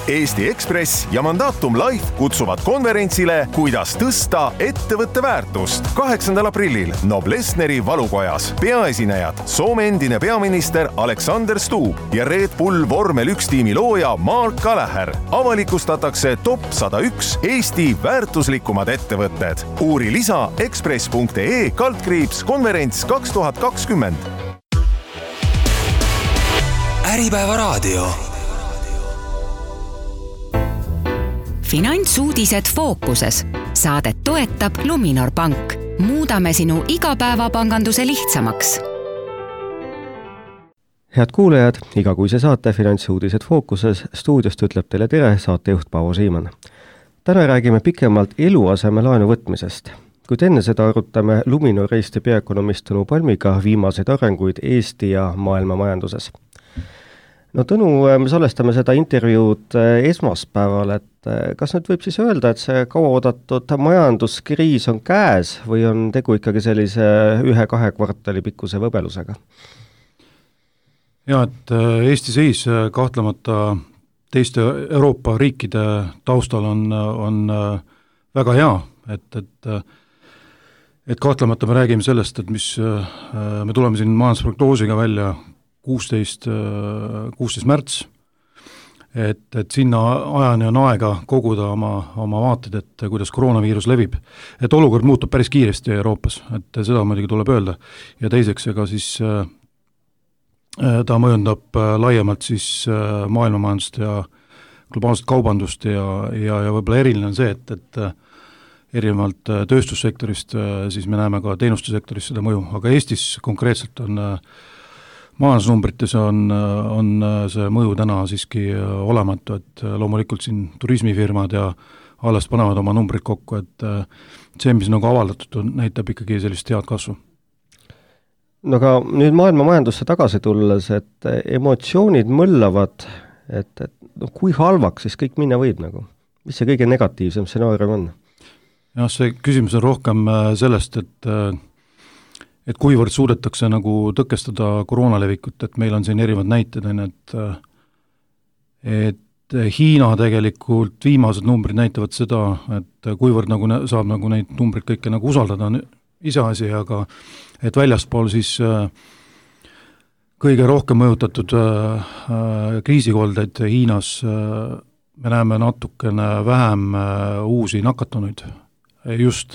Eesti Ekspress ja Mandatum Life kutsuvad konverentsile Kuidas tõsta ettevõtte väärtust 8. aprillil Noblessneri valukojas. Peaesinejad Soome endine peaminister Alexander Stubb ja Red Bull Vormel 1 tiimi looja Mark Gallagher. Avalikustatakse top 101 Eesti väärtuslikumad ettevõtted. Uuri lisa ekspress.ee/konverents 2020. Äripäeva raadio. Finantsuudised fookuses. Saadet toetab Luminor Pank. Muudame sinu igapäevapanganduse lihtsamaks. Head kuulajad, igakuise saate Finantsuudised fookuses stuudiost ütleb teile tere saatejuht Paavo Siimann. Täna räägime pikemalt eluasemelaenu võtmisest. Kuid enne seda arutame Luminor Eesti peaökonomist Tõnu Palmiga viimaseid arenguid Eesti ja maailma majanduses. No Tõnu, me salvestame seda intervjuud esmaspäeval, et kas nüüd võib siis öelda, et see kauaoodatud majanduskriis on käes või on tegu ikkagi sellise 1-2 kvartali pikkuse võbelusega? Ja, et Eesti seis kahtlemata teiste Euroopa riikide taustal on väga hea, et kahtlemata me räägime sellest, et me tuleme siin majandusprognoosiga välja 16 märts, et sinna ajani on aega koguda oma vaated, et kuidas koroonaviirus levib. Et olukord muutub päris kiiresti Euroopas, et seda muidugi tuleb öelda. Ja teiseks, ega siis ta mõjundab laiemalt siis maailmamajandust ja globaalset kaubandust ja võib-olla eriline on see, et erinevalt tööstussektorist siis me näeme ka teenustesektoris seda mõju, aga Eestis konkreetselt on majandusnumbrites on see mõju täna siiski olematu, et loomulikult siin turismifirmad ja alles panevad oma numbrid kokku, et see, mis nagu avaldatud, näitab ikkagi sellist head kasvu. No aga nüüd maailma majandusse tagasi tulles, et emotsioonid mõllavad, et kui halvaks siis kõik minna võib nagu? Mis see kõige negatiivsem stsenaarium on? Ja see küsimus on rohkem sellest, et kuivõrd suudetakse nagu tõkestada koroonalevikut, et meil on siin erinevad näited, et Hiina tegelikult viimased numbrid näitavad seda, et kuivõrd nagu saab nagu neid numbrid kõike nagu usaldada on iseasi, aga et väljaspool siis kõige rohkem mõjutatud kriisikoldeid Hiinas me näeme natukene vähem uusi nakatunuid, just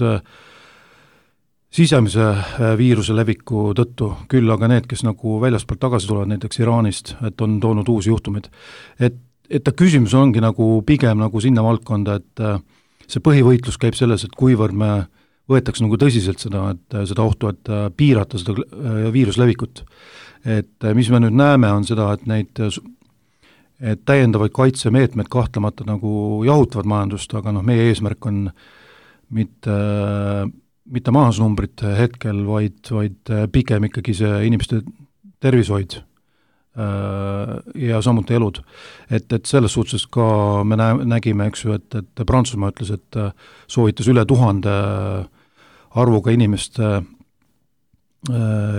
sisemise viiruse leviku tõttu, küll aga need, kes nagu väljaspoolt tagasi tulevad, näiteks Iraanist, et on toonud uusi juhtumeid. Et ta küsimus ongi nagu pigem nagu sinna valdkonda, et see põhivõitlus käib selles, et kuivõrd me võetaks nagu tõsiselt seda ohtu, et piirata seda viiruslevikut. Et mis me nüüd näeme, on seda, et täiendavaid kaitsemeetmed kahtlemata nagu jahutavad majandust, aga meie eesmärk on mitte majandusnumbrid hetkel, vaid pigem ikkagi see inimeste tervishoid ja samuti elud. Et selles suhtes ka me nägime, eks ju, et Prantsusmaa ütles, et soovitas üle 1000 arvuga inimeste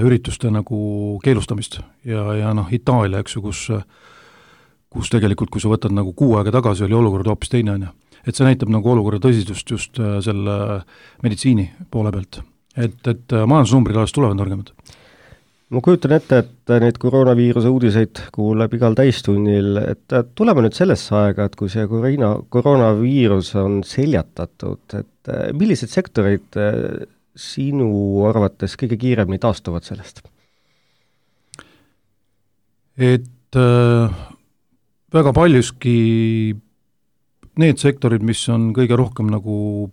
ürituste nagu keelustamist ja Itaalia, eks ju, kus tegelikult, kui sa võtad nagu 6 aega tagasi, oli olukord hoopis teine on. Et see näitab nagu olukorra tõsisust just selle meditsiini poole pealt. Et majandusnumbrid alles tulevad nõrgemad. Ma kujutan ette, et neid koroonaviiruse uudiseid kuuleb igal täistunnil, et tuleme nüüd sellesse aega, et kui see koroonaviirus on seljatatud, et millised sektorid sinu arvates kõige kiiremini taastuvad sellest? Et väga paljuski need sektorid, mis on kõige rohkem nagu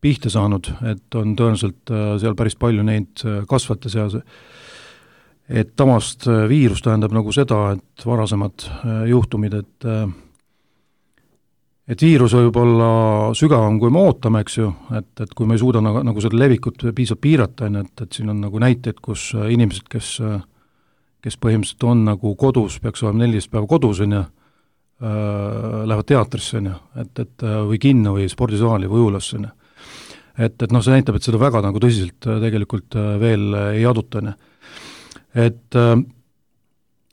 pihta saanud, et on tõenäoliselt seal päris palju neid kasvate seas. Et tamast viirus tähendab nagu seda, et varasemad juhtumid, et viirus võib olla sügavam, kui me ootame, eks ju, et kui me ei suuda nagu seda levikut piisavalt piirata, et siin on nagu näiteid, kus inimesed, kes põhimõtteliselt on nagu kodus, peaks olema 14 päeva kodus, lähevad teatrisse, et või kinno või spordisaali või ujulasse. Et see näitab, et seda väga nagu tõsiselt tegelikult veel ei aduta. Et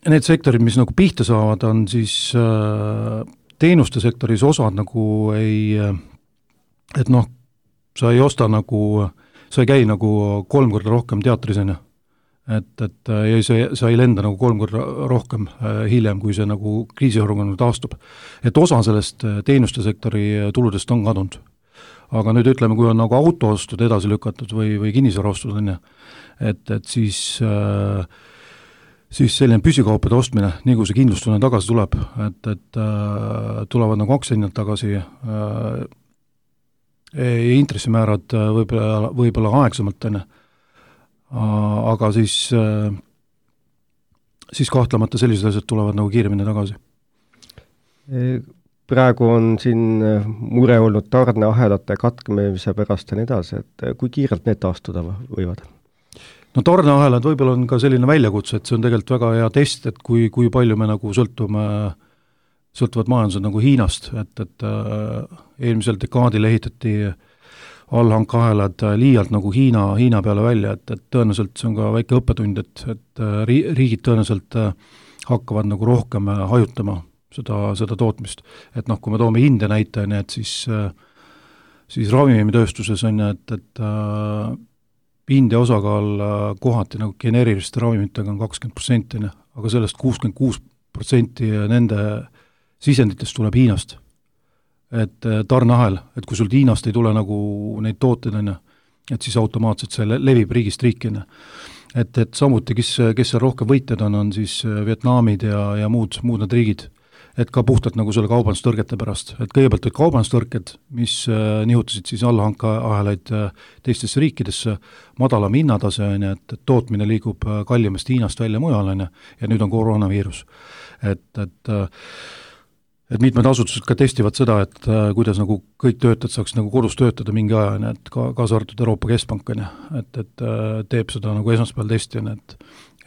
need sektorid, mis nagu pihta saavad, on siis teenuste sektoris osad nagu et noh, sa ei osta nagu, sa ei käi nagu 3 korda rohkem teatris, ja sa ei lenda nagu 3 korda rohkem hiljem, kui see nagu kriisiorgan taastub. Et osa sellest teenuste sektori tuludest on kadunud. Aga nüüd ütleme, kui on nagu autoostud edasi lükatud või kinnisvaraostud, et siis selline püsikaupade ostmine, nii kui see kindlustunne tagasi tuleb, et tulevad nagu aktsiahinnad tagasi, intressimäärad võib-olla aegsamalt, aga siis kahtlemata sellised asjad tulevad nagu kiiremini tagasi. Praegu on siin mure olnud tarneahelate katkemise pärast ja nii edasi, et kui kiirelt need taastuda võivad? No tarneahelad võib-olla on ka selline väljakutse, et see on tegelikult väga hea test, et kui palju me nagu sõltuvad majandused nagu Hiinast, et eelmisel dekaadil ehitati allhankahelad liialt nagu Hiina peale välja, et tõenäoliselt see on ka väike õppetund, et riigid tõenäoliselt hakkavad nagu rohkem hajutama seda tootmist. Et noh, kui me toome India näite, et siis ravimitööstuses on, et India osakaal kohati nagu geneeriliste ravimitega on 20%, aga sellest 66% nende sisenditest tuleb Hiinast. Et tarneahel, et kui sul Hiinast ei tule nagu neid tooteid, et siis automaatselt see levib riigist riiki. Et samuti, kes seal rohkem võitjad on siis Vietnamid ja muud need riigid, et ka puhtalt nagu selle kaubandustõrgete pärast. Et kõigepealt olid kaubandustõrked, mis nihutasid siis allahankaahelaid teistesse riikidesse, madalam hinnatase, et tootmine liigub kallimast Hiinast välja mujal, ja nüüd on koroonaviirus. Et mitmed asutused ka testivad seda, et kuidas nagu kõik töötajad saaks nagu kodus töötada mingi aja, et kaasa arvatud Euroopa Keskpank, et teeb seda nagu esmaspäeval testi,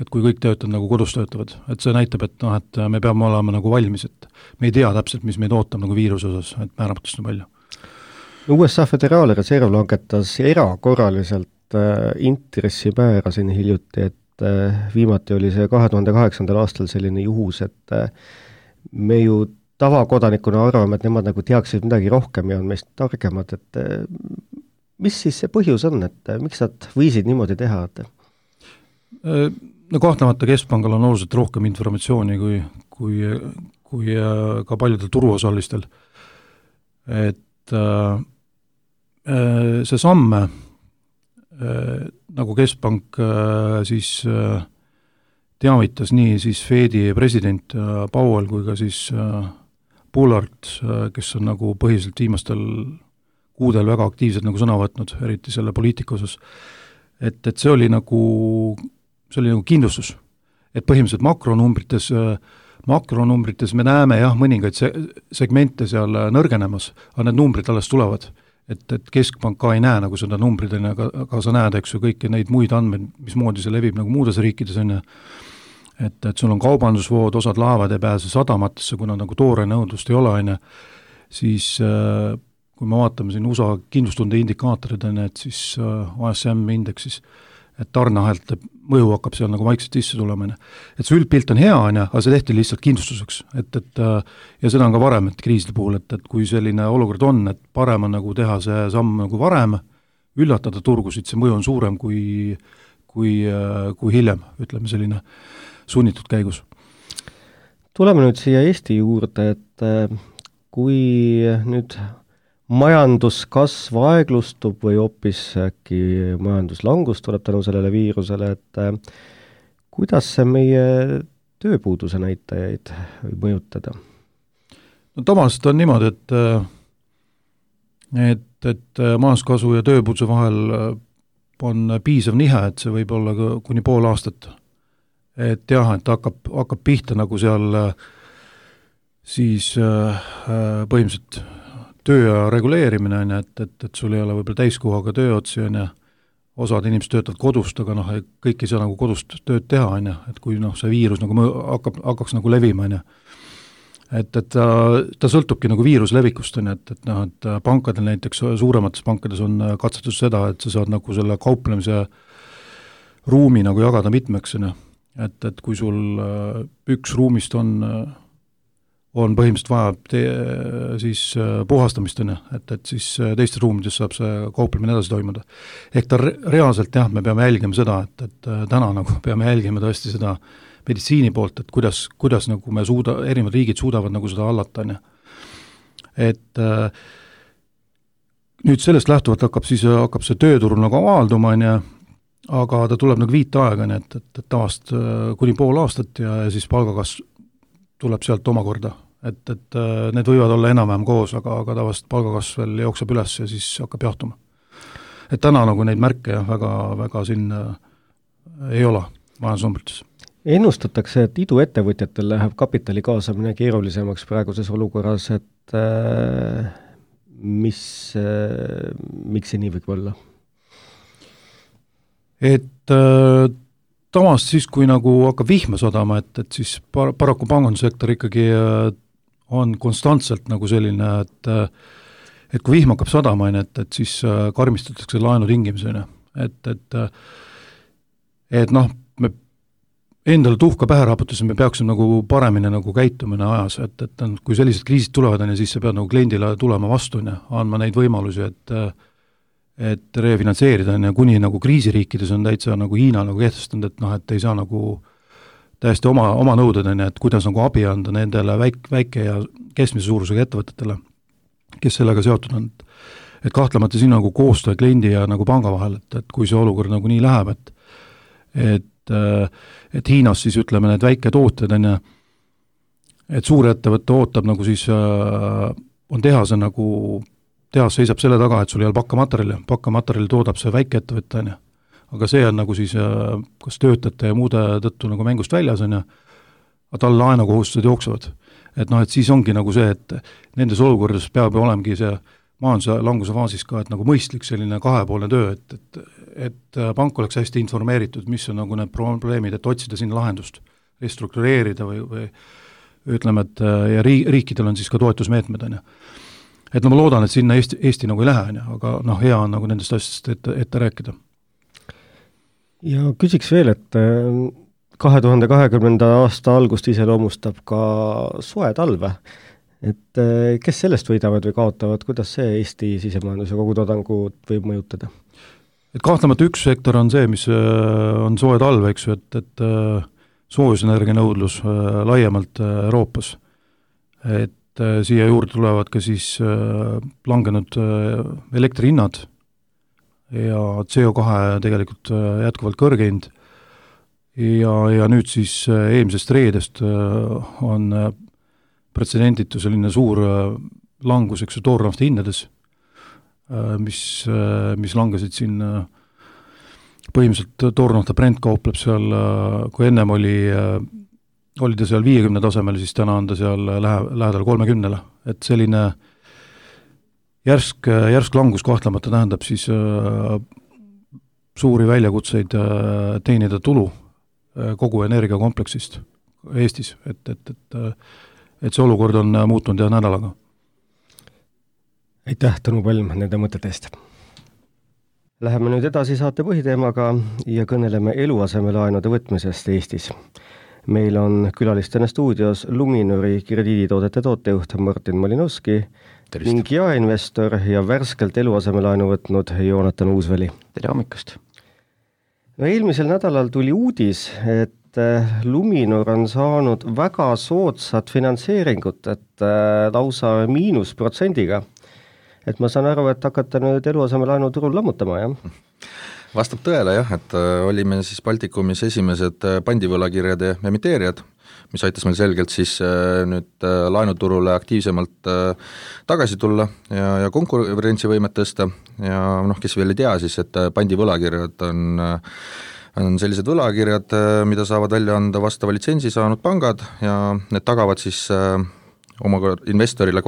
et kui kõik töötajad nagu kodus töötavad, et see näitab, et me peame olema nagu valmis, et me ei tea täpselt, mis meid ootab nagu viiruse osas, et määramatust on palju. USA Föderaalreserv langetas erakorraliselt intressimäära siin hiljuti, et viimati oli see 2008. aastal selline juhus, et me ju tavakodanikuna arvame, et nemad nagu teaksid midagi rohkem ja on meist targemad, et mis siis see põhjus on, et miks nad võisid niimoodi teha? No kahtlemata Keskpangal on oluliselt rohkem informatsiooni kui ka paljudel turuosalistel. Et see samme, nagu Keskpank siis teavitas nii siis Fedi president Powell kui ka siis Bullard, kes on nagu põhiliselt viimastel kuudel väga aktiivselt nagu sõna võtnud, eriti selle poliitika osas, et see oli nagu kindlustus, et põhimõtteliselt makronumbrites me näeme jah, mõningaid segmente seal nõrgenemas, aga need numbrid alles tulevad, et Keskpank ka ei näe nagu seda numbrid, aga sa näed, eks ju, kõiki neid muid andmeid, mismoodi see levib nagu muudes riikides, et sul on kaubandusvood, osad laevad ei pääse sadamatesse, kuna nagu toore nõudlust ei ole, siis kui me vaatame siin USA kindlustunde indikaatorid, et siis ASM indeksis, et tarneahelte mõju hakkab seal nagu vaikselt sisse tulema. Et see üldpilt on hea, aga see tehti lihtsalt kindlustuseks. Ja seda on ka varem, et kriiside puhul, et kui selline olukord on, et parem on nagu teha see samm nagu varem, üllatada turgusid, see mõju on suurem kui hiljem, ütleme selline sunnitud käigus. Tuleme nüüd siia Eesti juurde, et kui nüüd majanduskasv aeglustub või hoopis äkki majanduslangus tuleb tänu sellele viirusele, et kuidas see meie tööpuuduse näitajaid võib mõjutada? No tavaliselt on niimoodi, et majanduskasvu ja tööpuuduse vahel on piisav nihe, et see võib olla kuni pool aastat. Et jah, et hakkab pihta nagu seal siis põhimõtteliselt töö reguleerimine, et sul ei ole võib-olla täiskohaga tööotsi, osad inimesed töötavad kodust, aga kõik ei saa nagu kodust tööd teha, et kui see viirus nagu hakkaks nagu levima, et ta sõltubki nagu viiruse levikust, et pankadel näiteks, suuremates pankades on katsetus seda, et sa saad nagu selle kauplemise ruumi nagu jagada mitmeks, et kui sul üks ruumist on on põhimõtteliselt vaja siis puhastamist, et siis teistes ruumides saab see kauplemine edasi toimuda. Ehk ta reaalselt jah, me peame jälgima seda, et täna nagu peame jälgima tõesti seda meditsiini poolt, et kuidas nagu me erinevad riigid suudavad nagu seda hallata, et nüüd sellest lähtuvalt hakkab see tööturul nagu avalduma, aga ta tuleb nagu viitaega, et tavaliselt kuni pool aastat ja siis palgakasv tuleb sealt omakorda, et need võivad olla enam-vähem koos, aga tavaliselt palgakasv veel jookseb üles ja siis hakkab jahtuma. Et täna nagu neid märke väga siin ei ole majandusnumbrites. Ennustatakse, et iduettevõtjatel läheb kapitali kaasamine keerulisemaks praeguses olukorras, et miks see nii võib olla? Et tavast siis, kui nagu hakkab vihma sadama, et siis paraku pangandussektor ikkagi on konstantselt nagu selline, et kui vihm hakkab sadama, et siis karmistatakse laenu tingimusi, et noh, me endale tuhka pähe raputasime, me peaksime nagu paremini nagu käitumine ajas, et kui sellised kriisid tulevad, siis sa pead nagu kliendile tulema vastu, andma neid võimalusi, et refinantseerida, kuni nagu kriisiriikides on täitsa nagu Hiina nagu kehtestanud, et ei saa nagu täiesti oma nõuded, et kuidas nagu abi anda nendele väike ja keskmise suurusega ettevõtetele, kes sellega seotud on. Et kahtlemata siin nagu koostöö kliendi ja nagu panga vahel, et kui see olukord nagu nii läheb, et Hiinas siis ütleme need väike tooted, et suur ettevõtte ootab nagu siis on tehase nagu tehas seisab selle taga, et sul ei ole pakkamaterjali toodab see väike ettevõtte, aga see on nagu siis kas töötajate ja muude tõttu nagu mängust väljas, aga tal laenukohustused jooksevad. Et siis ongi nagu see, et nendes olukordades peab olemegi see majanduse languse faasis ka, et nagu mõistlik selline kahepoolne töö, et pank oleks hästi informeeritud, mis on nagu need probleemid, et otsida sinna lahendust, restruktureerida või ütleme, et ja riikidel on siis ka toetusmeetmed, et ma loodan, et sinna Eesti nagu ei lähe, aga hea on nagu nendest asjast ette rääkida. Ja küsiks veel, et 2020. aasta algust iseloomustab ka soe talve, et kes sellest võidavad või kaotavad, kuidas see Eesti sisemajanduse kogutoodangut võib mõjutada? Et kahtlemata üks sektor on see, mis on soe talv, eks ju, et soojusenergia nõudlus laiemalt Euroopas, et siia juurde tulevad ka siis langenud elektrihinnad ja CO2 tegelikult jätkuvalt kõrge hind ja nüüd siis eelmisest reedest on pretsedenditu selline suur langus, eks ju, toornafta hindades, mis langesid siin põhimõtteliselt toornafta Brent kaupleb seal, kui ennem oli ta seal 50 tasemel, siis täna on ta seal lähedal 30, et selline järsk langus kahtlemata tähendab siis suuri väljakutseid teenida tulu kogu energiakompleksist Eestis, et see olukord on muutunud ja nädalaga. Aitäh, Tõnu Palm, nende mõtete eest. Läheme nüüd edasi saate põhiteemaga ja kõneleme eluasemelaenude võtmisest Eestis. Meil on külalistena stuudios Luminori krediiditoodete tootejuht Martin Malinovski ning jaeinvestor ja värskelt eluasemelaenu võtnud Joonatan Uusväli. Tere hommikust! No, eelmisel nädalal tuli uudis, et Luminor on saanud väga soodsat finantseeringut, et lausa -%. Et ma saan aru, et hakata nüüd eluasemelaenu turul lammutama, jah? Vastab tõele jah, et olime siis Baltikumis esimesed pandivõlakirjade emiteerijad, mis aitas meil selgelt siis nüüd laenuturule aktiivsemalt tagasi tulla ja konkurentsivõimet tõsta ja kes veel ei tea siis, et pandivõlakirjad on sellised võlakirjad, mida saavad välja anda vastava litsentsi saanud pangad ja need tagavad siis oma investorile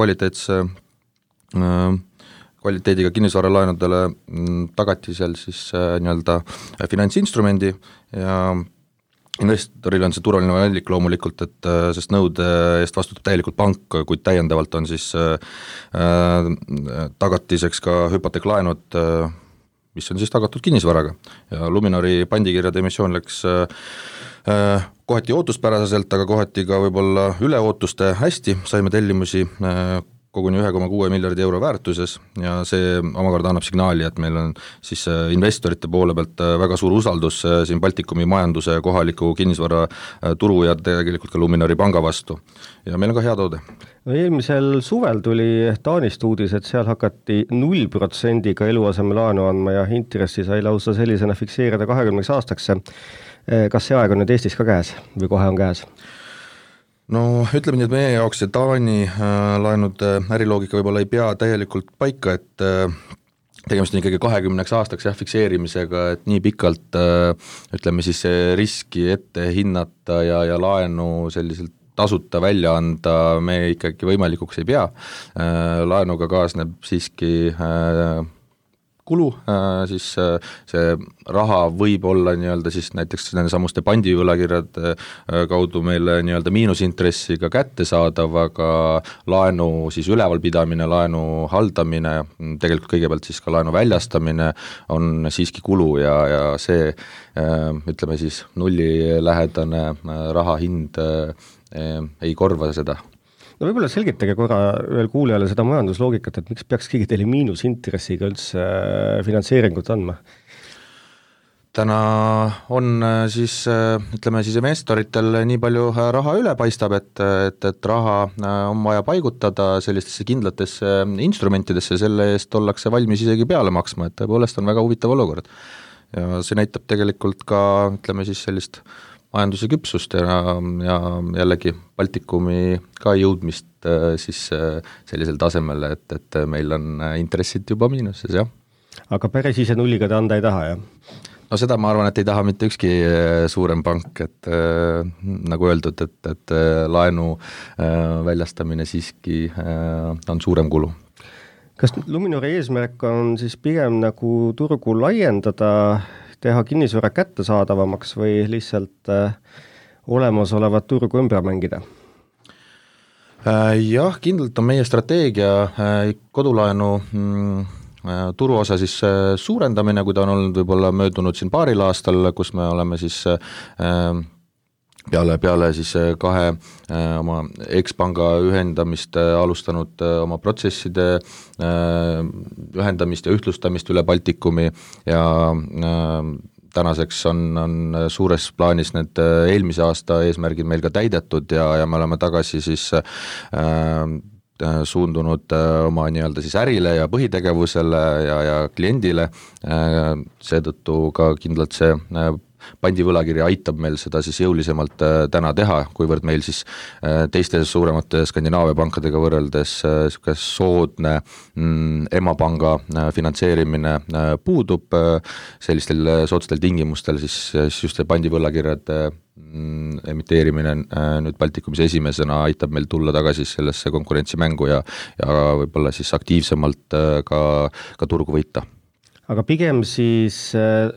kvaliteediga kinnisvaralaenudele tagatisel siis nii-öelda finantsinstrumendi ja investoril on see turvaline valik loomulikult, et sest nõude eest vastutab täielikult pank, kuid täiendavalt on siis tagatiseks ka hüpoteeklaenud, mis on siis tagatud kinnisvaraga ja Luminori pandikirjade emissioon läks Kohati ootuspäraselt, aga kohati ka võib-olla üleootuste hästi, saime tellimusi koguni 1,6 miljardi euro väärtuses ja see omakorda annab signaali, et meil on siis investorite poole pealt väga suur usaldus siin Baltikumi majanduse, kohaliku kinnisvara turu ja tegelikult ka Luminori panga vastu. Ja meil on ka hea toode. Eelmisel suvel tuli Taanist uudis, et seal hakati 0%-ga eluasemelaenu andma ja intressi sai lausa sellisena fikseerida 20 aastaks. Kas see aeg on nüüd Eestis ka käes või kohe on käes? No ütleme nii, et meie jaoks see Taani laenud äriloogika võib-olla ei pea täielikult paika, et tegemist on ikkagi 20 aastaks fikseerimisega, et nii pikalt ütleme siis riski ette hinnata ja laenu selliselt tasuta välja anda me ikkagi võimalikuks ei pea. Laenuga kaasneb siiski kulu, siis see raha võib olla nii-öelda siis näiteks nende samuste pandivõlakirjade kaudu meile nii-öelda miinusintressiga kättesaadav, aga laenu siis ülevalpidamine, laenu haldamine, tegelikult kõigepealt siis ka laenu väljastamine on siiski kulu ja see ütleme siis nullilähedane raha hind ei korva seda. No võib-olla selgitage korra veel kuulejale seda majandusloogikat, et miks peaks keegi teile miinusintressiga üldse finantseeringut andma? Täna on siis, ütleme siis investoritel nii palju raha üle paistab, et raha on vaja paigutada sellistesse kindlatesse instrumentidesse, selle eest ollakse valmis isegi peale maksma, et tõepoolest on väga huvitav olukord. Ja see näitab tegelikult ka, ütleme siis sellist majanduse küpsust ja jällegi Baltikumi ka jõudmist siis sellisel tasemel, et meil on intressid juba miinuses, jah. Aga päris ise nulliga te anda ei taha, jah? No seda ma arvan, et ei taha mitte ükski suurem pank, et nagu öeldud, et laenu väljastamine siiski on suurem kulu. Kas Luminori eesmärk on siis pigem nagu turgu laiendada, teha kinnisvara kättesaadavamaks või lihtsalt olemasolevat turgu ümber mängida? Jah, kindlalt on meie strateegia kodulaenu turuosa siis suurendamine, kui ta on olnud võib-olla möödunud siin paaril aastal, kus me oleme siis peale siis kahe oma ekspanga ühendamist alustanud oma protsesside ühendamist ja ühtlustamist üle Baltikumi ja tänaseks on suures plaanis need eelmise aasta eesmärgid meil ka täidetud ja me oleme tagasi siis suundunud oma nii-öelda siis ärile ja põhitegevusele ja kliendile, seetõttu ka kindlalt see pandivõlakiri aitab meil seda siis jõulisemalt täna teha, kuivõrd meil siis teiste suuremate Skandinaavia pankadega võrreldes soodne emapanga finantseerimine puudub, sellistel soodstel tingimustel siis just see pandivõlakirjade emiteerimine nüüd Baltikumis esimesena aitab meil tulla tagasi sellesse konkurentsimängu ja võib-olla siis aktiivsemalt ka turgu võita. Aga pigem siis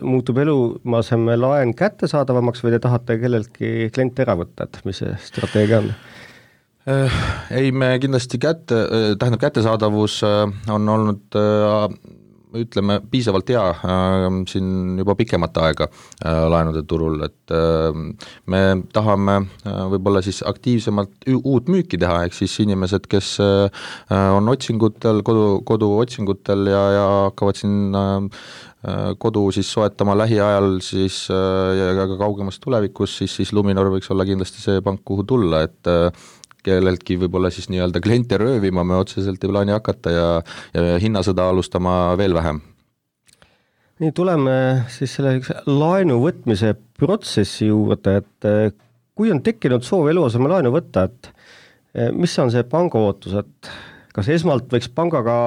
muutub eluaseme laen kättesaadavamaks või te tahate kelleltki klient ära võtta, et mis see strateegia on? Ei, me kindlasti kättesaadavus on olnud ütleme piisavalt hea siin juba pikemat aega laenude turul, et me tahame võib-olla siis aktiivsemalt uut müüki teha, ehk siis inimesed, kes on otsingutel, kodu otsingutel ja hakkavad siin kodu siis soetama lähiajal siis ja ka kaugemas tulevikus, siis Luminor võiks olla kindlasti see pank, kuhu tulla, et kelleltki võib-olla siis nii-öelda kliente röövima me otseselt ei plaani hakata ja hinnasõda alustama veel vähem. Nii, tuleme siis selle laenu võtmise protsessi juurde, et kui on tekkinud soov eluaseme laenu võtta, et mis on see panga ootus, et kas esmalt võiks pangaga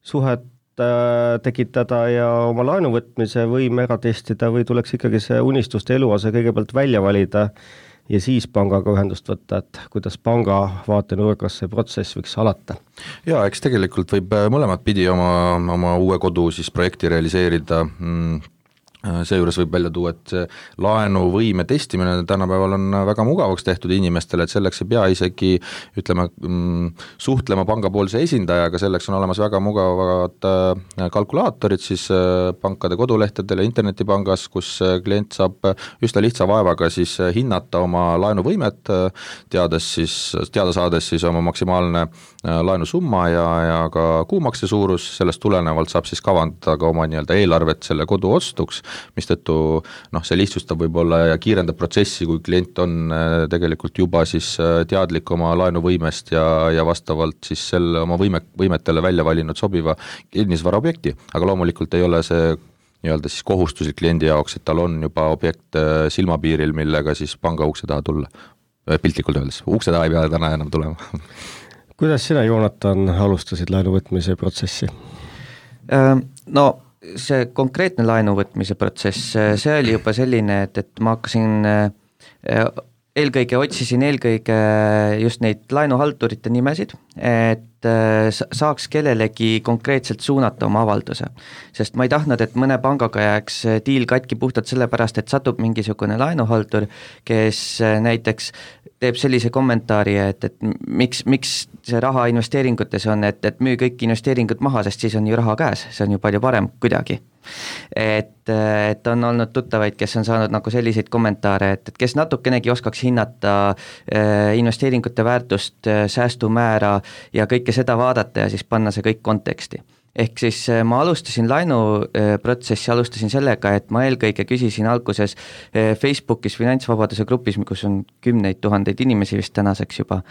suhet tekitada ja oma laenu võtmise võime ära testida või tuleks ikkagi see unistuste eluase kõigepealt välja valida ja siis pangaga ühendust võtta, et kuidas panga vaatenurgas see protsess võiks alata? Jaa, eks tegelikult võib mõlemat pidi oma uue kodu siis projekti realiseerida seejuures võib välja tuua, et see laenuvõime testimine tänapäeval on väga mugavaks tehtud inimestele, et selleks ei pea isegi ütleme, suhtlema pangapoolse esindajaga, selleks on olemas väga mugavad kalkulaatorid siis pankade kodulehtedel ja internetipangas, kus klient saab üsna lihtsa vaevaga siis hinnata oma laenuvõimet, teada saades siis oma maksimaalne laenusumma ja ka kuumakse suurus, sellest tulenevalt saab siis kavandada ka oma nii-öelda eelarvet selle kodu ostuks, mistõttu see lihtsustab võib-olla ja kiirendab protsessi, kui klient on tegelikult juba siis teadlik oma laenuvõimest ja vastavalt siis selle oma võimetele välja valinud sobiva kinnisvaraobjekti, aga loomulikult ei ole see nii-öelda siis kohustuslik kliendi jaoks, et tal on juba objekt silmapiiril, millega siis panga ukse taha tulla, piltlikult öeldes, ukse taha ei pea täna enam tulema. Kuidas sina, Joonatan, alustasid laenuvõtmise protsessi? No see konkreetne laenuvõtmise protsess, see oli juba selline, et ma hakkasin otsisin just neid laenuhaldurite nimesid, et saaks kellelegi konkreetselt suunata oma avalduse. Sest ma ei tahtnud, et mõne pangaga jääks diil katki puhtalt sellepärast, et satub mingisugune laenuhaldur, kes näiteks teeb sellise kommentaari, et miks see raha investeeringutes on, et müü kõik investeeringud maha, sest siis on ju raha käes, see on ju palju parem kuidagi. Et on olnud tuttavaid, kes on saanud nagu selliseid kommentaare, et kes natukenegi oskaks hinnata investeeringute väärtust, säästumäära ja kõike seda vaadata ja siis panna see kõik konteksti. Ehk siis ma alustasin laenuprotsessi sellega, et ma eelkõige küsisin alguses Facebookis finantsvabaduse grupis, kus on 10 000 inimesi vist tänaseks juba,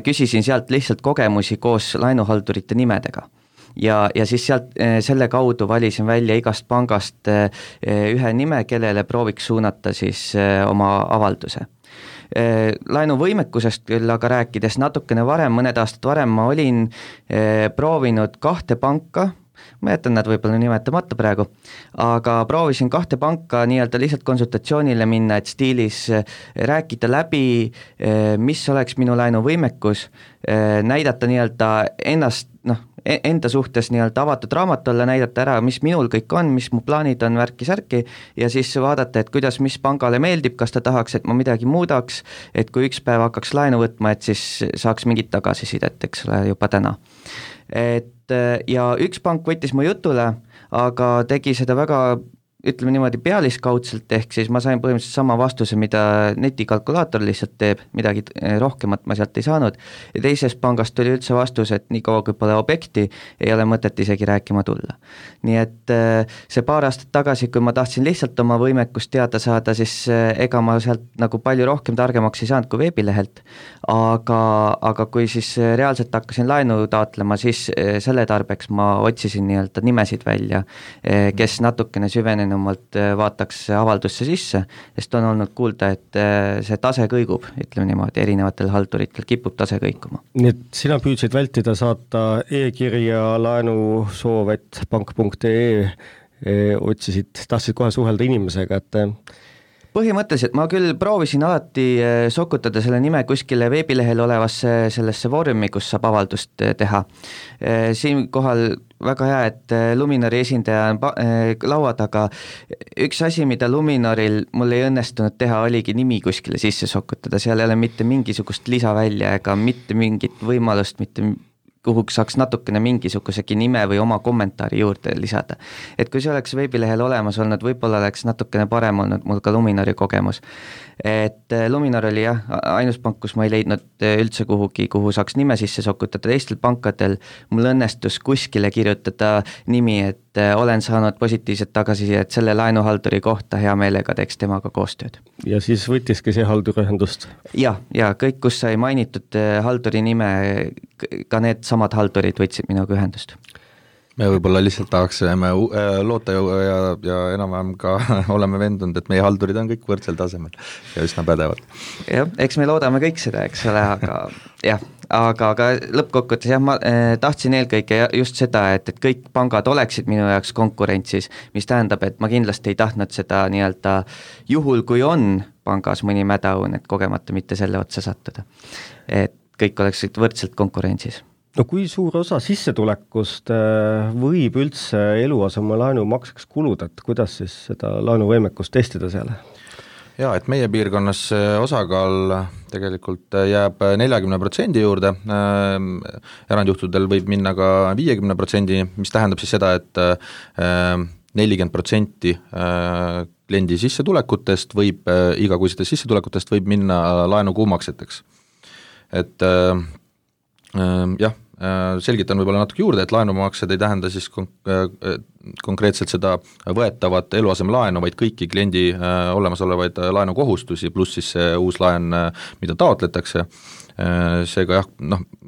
küsisin sealt lihtsalt kogemusi koos laenuhaldurite nimedega. Ja siis sealt selle kaudu valisin välja igast pangast ühe nime, kellele prooviks suunata siis oma avalduse. Laenuvõimekusest küll aga rääkides natukene varem, mõned aastad varem ma olin proovinud 2 panka, ma jätan nad võib-olla nimetamata praegu, aga proovisin 2 panka nii-öelda lihtsalt konsultatsioonile minna, et stiilis rääkida läbi, mis oleks minu laenuvõimekus, näidata nii-öelda enda suhtes nii-öelda avatud raamat olla, näidata ära, mis minul kõik on, mis mu plaanid on, värki-särki ja siis vaadata, et kuidas, mis pangale meeldib, kas ta tahaks, et ma midagi muudaks, et kui üks päev hakkaks laenu võtma, et siis saaks mingit tagasisidet, eks ole, juba täna. Ja üks pank võttis mu jutule, aga tegi seda väga ütleme niimoodi pealiskaudselt, ehk siis ma sain põhimõtteliselt sama vastuse, mida netikalkulaator lihtsalt teeb, midagi rohkemat ma sealt ei saanud ja teisest pangast tuli üldse vastus, et nii kaua kui pole objekti, ei ole mõtet isegi rääkima tulla. Nii et see paar aastat tagasi, kui ma tahtsin lihtsalt oma võimekust teada saada, siis ega ma sealt nagu palju rohkem targemaks ei saanud kui veebilehelt, aga kui siis reaalselt hakkasin laenu taotlema, siis selle tarbeks ma otsisin nii-öelda nimesid välja, kes natukene süvenenumalt vaataks avaldusse sisse, sest on olnud kuulda, et see tase kõigub, ütleme niimoodi, erinevatel halduritel kipub tase kõikuma. Nii et sina püüdsid vältida saata e-kirja laenusoov@pank.ee, tahtsid kohe suhelda inimesega, et põhimõtteliselt ma küll proovisin alati sokutada selle nime kuskile veebilehel olevasse sellesse vormi, kus saab avaldust teha. Siinkohal väga hea, et Luminori esindaja on laua taga. Üks asi, mida Luminoril mul ei õnnestunud teha, oligi nimi kuskile sisse sokutada, seal ei ole mitte mingisugust lisavälja ega mitte mingit võimalust, mitte kuhu saaks natukene mingisugusegi nime või oma kommentaari juurde lisada. Et kui see oleks veebilehel olemas olnud, võib-olla oleks natukene parem olnud mul ka Luminori kogemus. Et Luminor oli jah, ainus pank, kus ma ei leidnud üldse kuhu saaks nime sisse sokutada, teistel pankadel mul õnnestus kuskile kirjutada nimi, et olen saanud positiivset tagasisidet selle laenuhalduri kohta, hea meelega teeks temaga koostööd. Ja siis võttiski see haldur ühendust? Ja kõik, kus sai mainitud halduri nime, ka need samad haldurid võtsid minuga ühendust. Me võib-olla lihtsalt tahaksime loota ja enam-vähem ka oleme vendunud, et meie haldurid on kõik võrdsel tasemel ja üsna pädevad. Jah, eks me loodame kõik seda, eks ole, aga lõppkokkuvõttes jah, ma tahtsin eelkõige just seda, et kõik pangad oleksid minu jaoks konkurentsis, mis tähendab, et ma kindlasti ei tahtnud seda nii-öelda juhul, kui on pangas mõni mädaun, et kogemata mitte selle otsa sattuda. Et kõik oleksid võrdselt konkurentsis. No kui suur osa sissetulekust võib üldse eluasemelaenu makseks kuluda, et kuidas siis seda laenuvõimekust testida seal? Jaa, et meie piirkonnas osakaal tegelikult jääb 40% juurde, erandjuhtudel võib minna ka 50%, mis tähendab siis seda, et 40% kliendi sissetulekutest võib, igakuisetest sissetulekutest võib minna laenu kuumakseteks. Et jah, selgitan võib-olla natuke juurde, et laenumaksed ei tähenda siis konkreetselt seda võetavat eluasemelaenu, vaid kõiki kliendi olemasolevaid laenukohustusi, pluss siis see uus laen, mida taotletakse. Seega jah,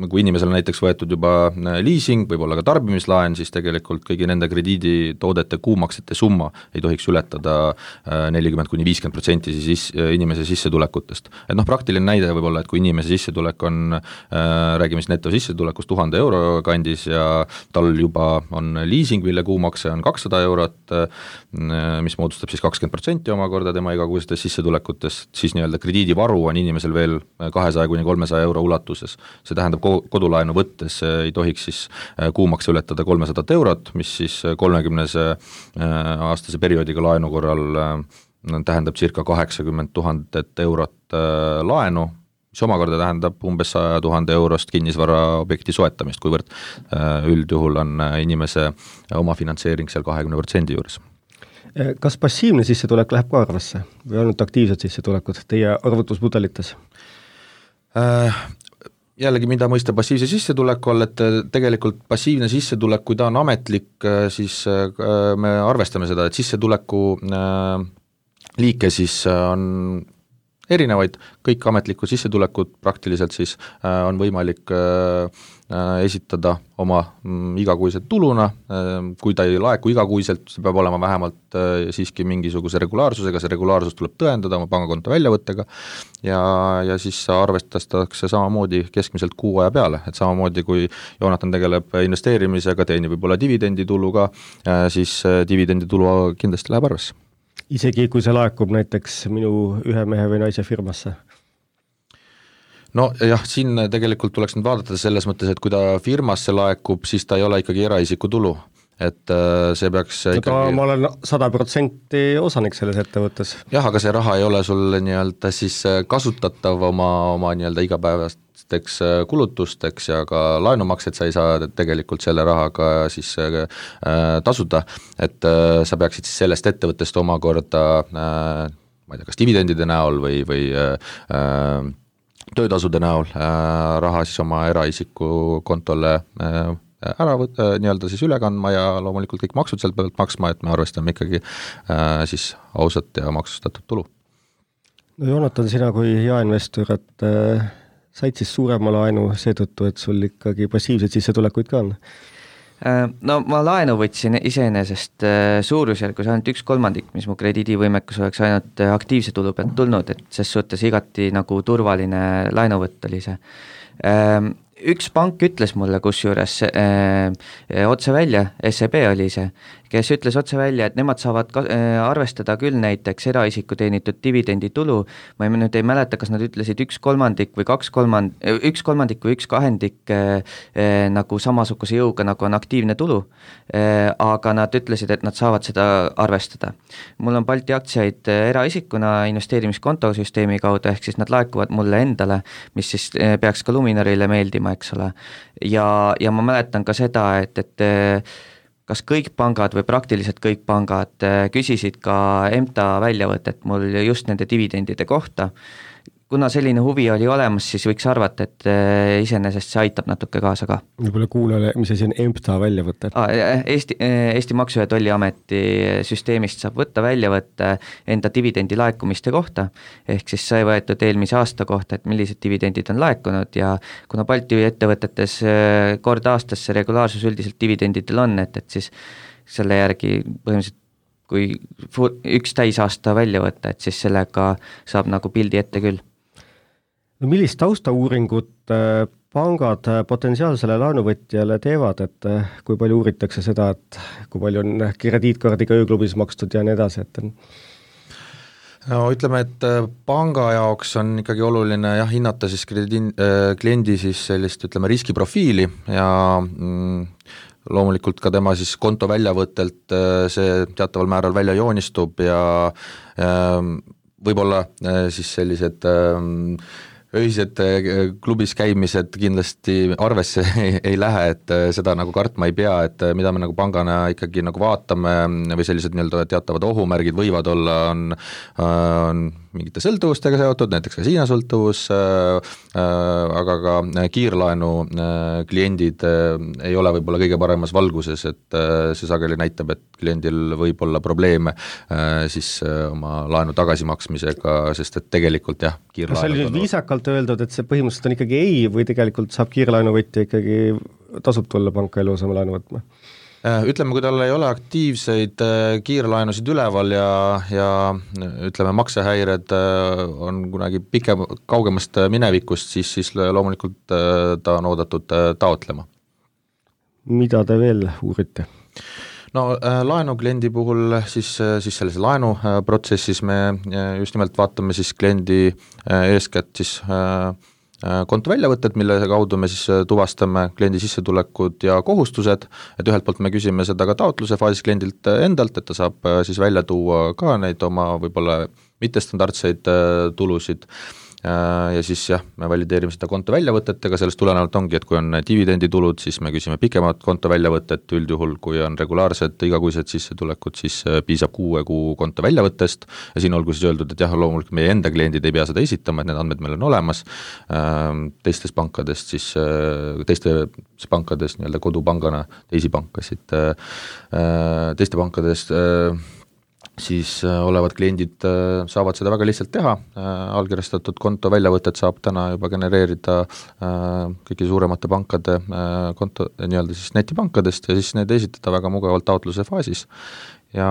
kui inimesel näiteks võetud juba leasing, võib-olla ka tarbimislaen, siis tegelikult kõigi nende krediiditoodete kuumaksete summa ei tohiks ületada 40-50% siis inimese sissetulekutest. Et praktiline näide võib-olla, et kui inimese sissetulek on, räägime siis netosissetulekust 1000 euro kandis ja tal juba on leasing, mille kuumakse on 200 eurot, mis moodustab siis 20% omakorda tema igakuistest sissetulekutest, siis nii-öelda krediidivaru on inimesel veel 200-300 euro ulatuses. See tähendab kodulaenu võttes ei tohiks siis kuumakse ületada 300 eurot, mis siis 30-aastase perioodiga laenu korral tähendab circa 80 000 eurot laenu, mis omakorda tähendab umbes 100 000 eurost kinnisvaraobjekti soetamist, kuivõrd üldjuhul on inimese omafinantseering seal 20% juures. Kas passiivne sissetulek läheb ka arvesse või ainult aktiivsed sissetulekud teie arvutusmudelites? Jällegi, mida mõista passiivse sissetuleku all, et tegelikult passiivne sissetulek, kui ta on ametlik, siis me arvestame seda, et sissetuleku liike siis on erinevaid, kõik ametlikud sissetulekud praktiliselt siis on võimalik esitada oma igakuiselt tuluna, kui ta ei laeku igakuiselt, see peab olema vähemalt siiski mingisuguse regulaarsusega, see regulaarsus tuleb tõendada oma pangakonto väljavõttega ja siis arvestatakse samamoodi keskmiselt kuu aja peale, et samamoodi kui Joonatan tegeleb investeerimisega, teenib võib-olla dividendituluga, siis dividenditulu kindlasti läheb arvesse. Isegi kui see laekub näiteks minu ühe mehe või naise firmasse? No jah, siin tegelikult tuleks nüüd vaadata selles mõttes, et kui ta firmasse laekub, siis ta ei ole ikkagi eraisiku tulu, et see peaks ikkagi... Ma olen 100% osanik selles ettevõttes. Jah, aga see raha ei ole sul nii-öelda siis kasutatav oma nii-öelda igapäevasteks kulutusteks ja ka laenumaksed sa ei saa tegelikult selle rahaga siis tasuda, et sa peaksid siis sellest ettevõttest omakorda ma ei tea, kas dividendide näol või töötasude näol raha siis oma eraisiku kontole ära nii-öelda siis üle kandma ja loomulikult kõik maksud sealt pealt maksma, et me arvestame ikkagi siis ausat ja maksustatud tulu. No Joonatan, sina kui jaeinvestor, et said siis suurema laenu seetõttu, et sul ikkagi passiivseid sissetulekuid ka on? No ma laenu võtsin iseenesest suurusjärgus ainult 1/3, mis mu krediidivõimekus oleks ainult aktiivse tulu pealt tulnud, et ses suhtes igati nagu turvaline laenuvõtt oli see. Üks pank ütles mulle kusjuures otse välja, SEB oli see, kes ütles otse välja, et nemad saavad arvestada küll näiteks eraisiku teenitud dividenditulu, ma nüüd ei mäleta, kas nad ütlesid 1/3 või 1/3 või 1/2 nagu samasuguse jõuga, nagu on aktiivne tulu, aga nad ütlesid, et nad saavad seda arvestada. Mul on Balti aktsiaid eraisikuna investeerimiskontosüsteemi kaudu, ehk siis nad laekuvad mulle endale, mis siis peaks ka Luminorile meeldima, eks ole. Ja ma mäletan ka seda, et kas kõik pangad või praktiliselt kõik pangad küsisid ka EMTA väljavõtet mul just nende dividendide kohta. Kuna selline huvi oli olemas, siis võiks arvata, et iseenesest see aitab natuke kaasa ka. Võib-olla kuulele, mis asi on EMTA väljavõte? Eesti Maksu- ja Tolliameti süsteemist saab võtta väljavõtte enda dividendi laekumiste kohta, ehk siis sai võetud eelmise aasta kohta, et millised dividendid on laekunud ja kuna Balti ettevõtetes kord aastas see regulaarsus üldiselt dividendidel on, et siis selle järgi põhimõtteliselt kui üks täisaasta välja võtta, et siis sellega saab nagu pildi ette küll. No millist taustauuringut pangad potentsiaalsele laenuvõtjale teevad, et kui palju uuritakse seda, et kui palju on krediitkaardiga ööklubis makstud ja nii edasi, et No ütleme, et panga jaoks on ikkagi oluline hinnata siis kliendi siis sellist, ütleme, riskiprofiili ja loomulikult ka tema siis konto väljavõttelt see teataval määral välja joonistub ja võib-olla siis sellised öised klubis käimised kindlasti arvesse ei lähe, et seda nagu kartma ei pea, et mida me nagu pangana ikkagi nagu vaatame või sellised nii-öelda teatavad ohumärgid võivad olla, on mingite sõltuvustega seotud, näiteks kasiinosõltuvus, aga ka kiirlaenu kliendid ei ole võib-olla kõige paremas valguses, et see sageli näitab, et kliendil võib olla probleeme siis oma laenu tagasimaksmisega, sest et tegelikult kas see oli nüüd viisakalt öeldud, et see põhimõtteliselt on ikkagi ei või tegelikult saab kiirlaenuvõtja ikkagi tasub tulla panka eluasemelaenu võtma? Ütleme, kui tal ei ole aktiivseid kiirlaenusid üleval ja ütleme, maksehäired on kunagi kaugemast minevikust, siis loomulikult ta on oodatud taotlema. Mida te veel uurite? No laenukliendi puhul siis selles laenuprotsessis me just nimelt vaatame siis kliendi eeskätt siis konto väljavõtted, mille kaudu me siis tuvastame kliendi sissetulekud ja kohustused, et ühelt poolt me küsime seda ka taotluse faasis kliendilt endalt, et ta saab siis välja tuua ka neid oma võib-olla mittestandardseid tulusid ja siis me valideerime seda konto väljavõtetega, sellest tulenevalt ongi, et kui on dividenditulud, siis me küsime pikemat konto väljavõtet, üldjuhul kui on regulaarsed igakuised sissetulekud, siis piisab 6 kuu konto väljavõttest ja siin olgu siis öeldud, et loomulikult meie enda kliendid ei pea seda esitama, et need andmed meil on olemas, teistes pankadest siis, teistes pankades nii-öelda kodupangana teisi pankasid, teiste pankadest siis olevad kliendid saavad seda väga lihtsalt teha, allkirjastatud konto väljavõtet saab täna juba genereerida kõigi suuremate pankade konto, nii-öelda siis netipankadest ja siis need esitada väga mugavalt taotluse faasis. Ja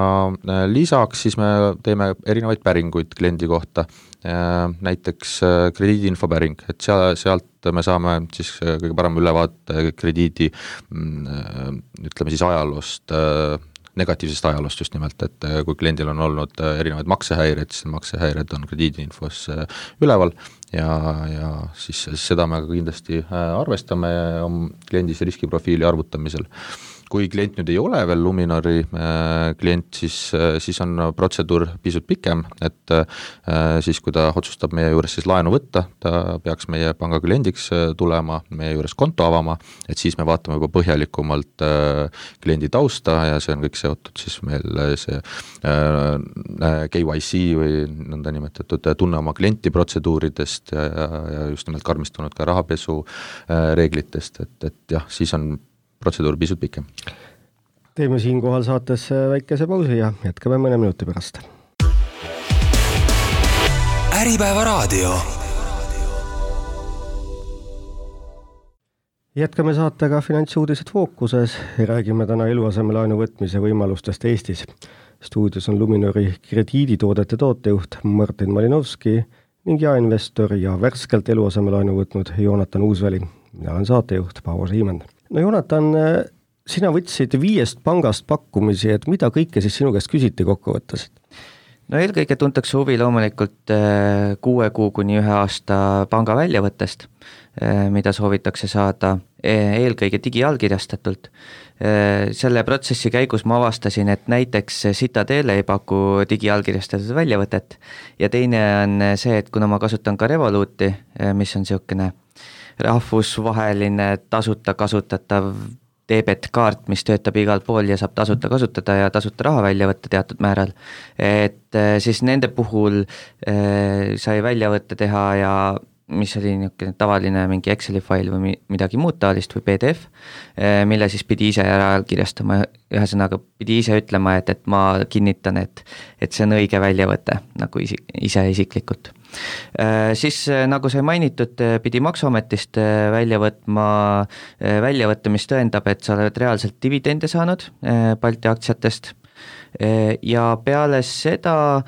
lisaks siis me teeme erinevaid päringuid kliendi kohta, näiteks krediidiinfo päring, et sealt me saame siis kõige parem ülevaate krediidi, ütleme siis ajaloost, negatiivsest ajaloost just nimelt, et kui kliendil on olnud erinevaid maksehäired, siis maksehäired on krediidiinfos üleval ja siis seda me kindlasti arvestame kliendis riskiprofiili arvutamisel. Kui klient nüüd ei ole veel Luminori klient, siis on protseduur pisut pikem, et siis kui ta otsustab meie juures siis laenu võtta, ta peaks meie panga kliendiks tulema, meie juures konto avama, et siis me vaatame juba põhjalikumalt kliendi tausta ja see on kõik seotud siis meil see KYC või nõnda nimetatud tunne oma klienti protseduuridest ja just nimelt karmistunud ka rahapesu reeglitest, et siis on protseduur pisut pikem. Teeme siinkohal saates väikese pausi ja jätkame mõne minuti pärast. Äripäeva raadio. Jätkame saatega Finantsuudised fookuses ja räägime täna eluasemelaenu võtmise võimalustest Eestis. Stuudios on Luminori krediiditoodete tootejuht Martin Malinovski ning jaeinvestor ja värskelt eluasemelaenu võtnud Joonatan Uusväli. Mina olen saatejuht Paavo Siimann. No Joonatan, sina võtsid 5 pangast pakkumisi, et mida kõike siis sinu käest küsiti kokkuvõttes? No eelkõige tuntakse huvi loomulikult 6 kuu kuni 1 aasta panga väljavõttest, mida soovitakse saada eelkõige digiallkirjastatult. Selle protsessi käigus ma avastasin, et näiteks Citadel ei paku digiallkirjastatud väljavõtet ja teine on see, et kuna ma kasutan ka Revoluti, mis on niisugune rahvusvaheline tasuta kasutatav debetkaart, mis töötab igal pool ja saab tasuta kasutada ja tasuta raha välja võtta teatud määral, et siis nende puhul sai väljavõtte teha ja mis oli niisugune tavaline mingi Exceli fail või midagi muud taolist või PDF, mille siis pidi ise ära kirjastama, ühesõnaga pidi ise ütlema, et ma kinnitan, et see on õige väljavõte nagu ise isiklikult. Siis nagu sai mainitud, pidi Maksuametist välja võtma väljavõtte, mis tõendab, et sa oled reaalselt dividende saanud Balti aktsiatest ja peale seda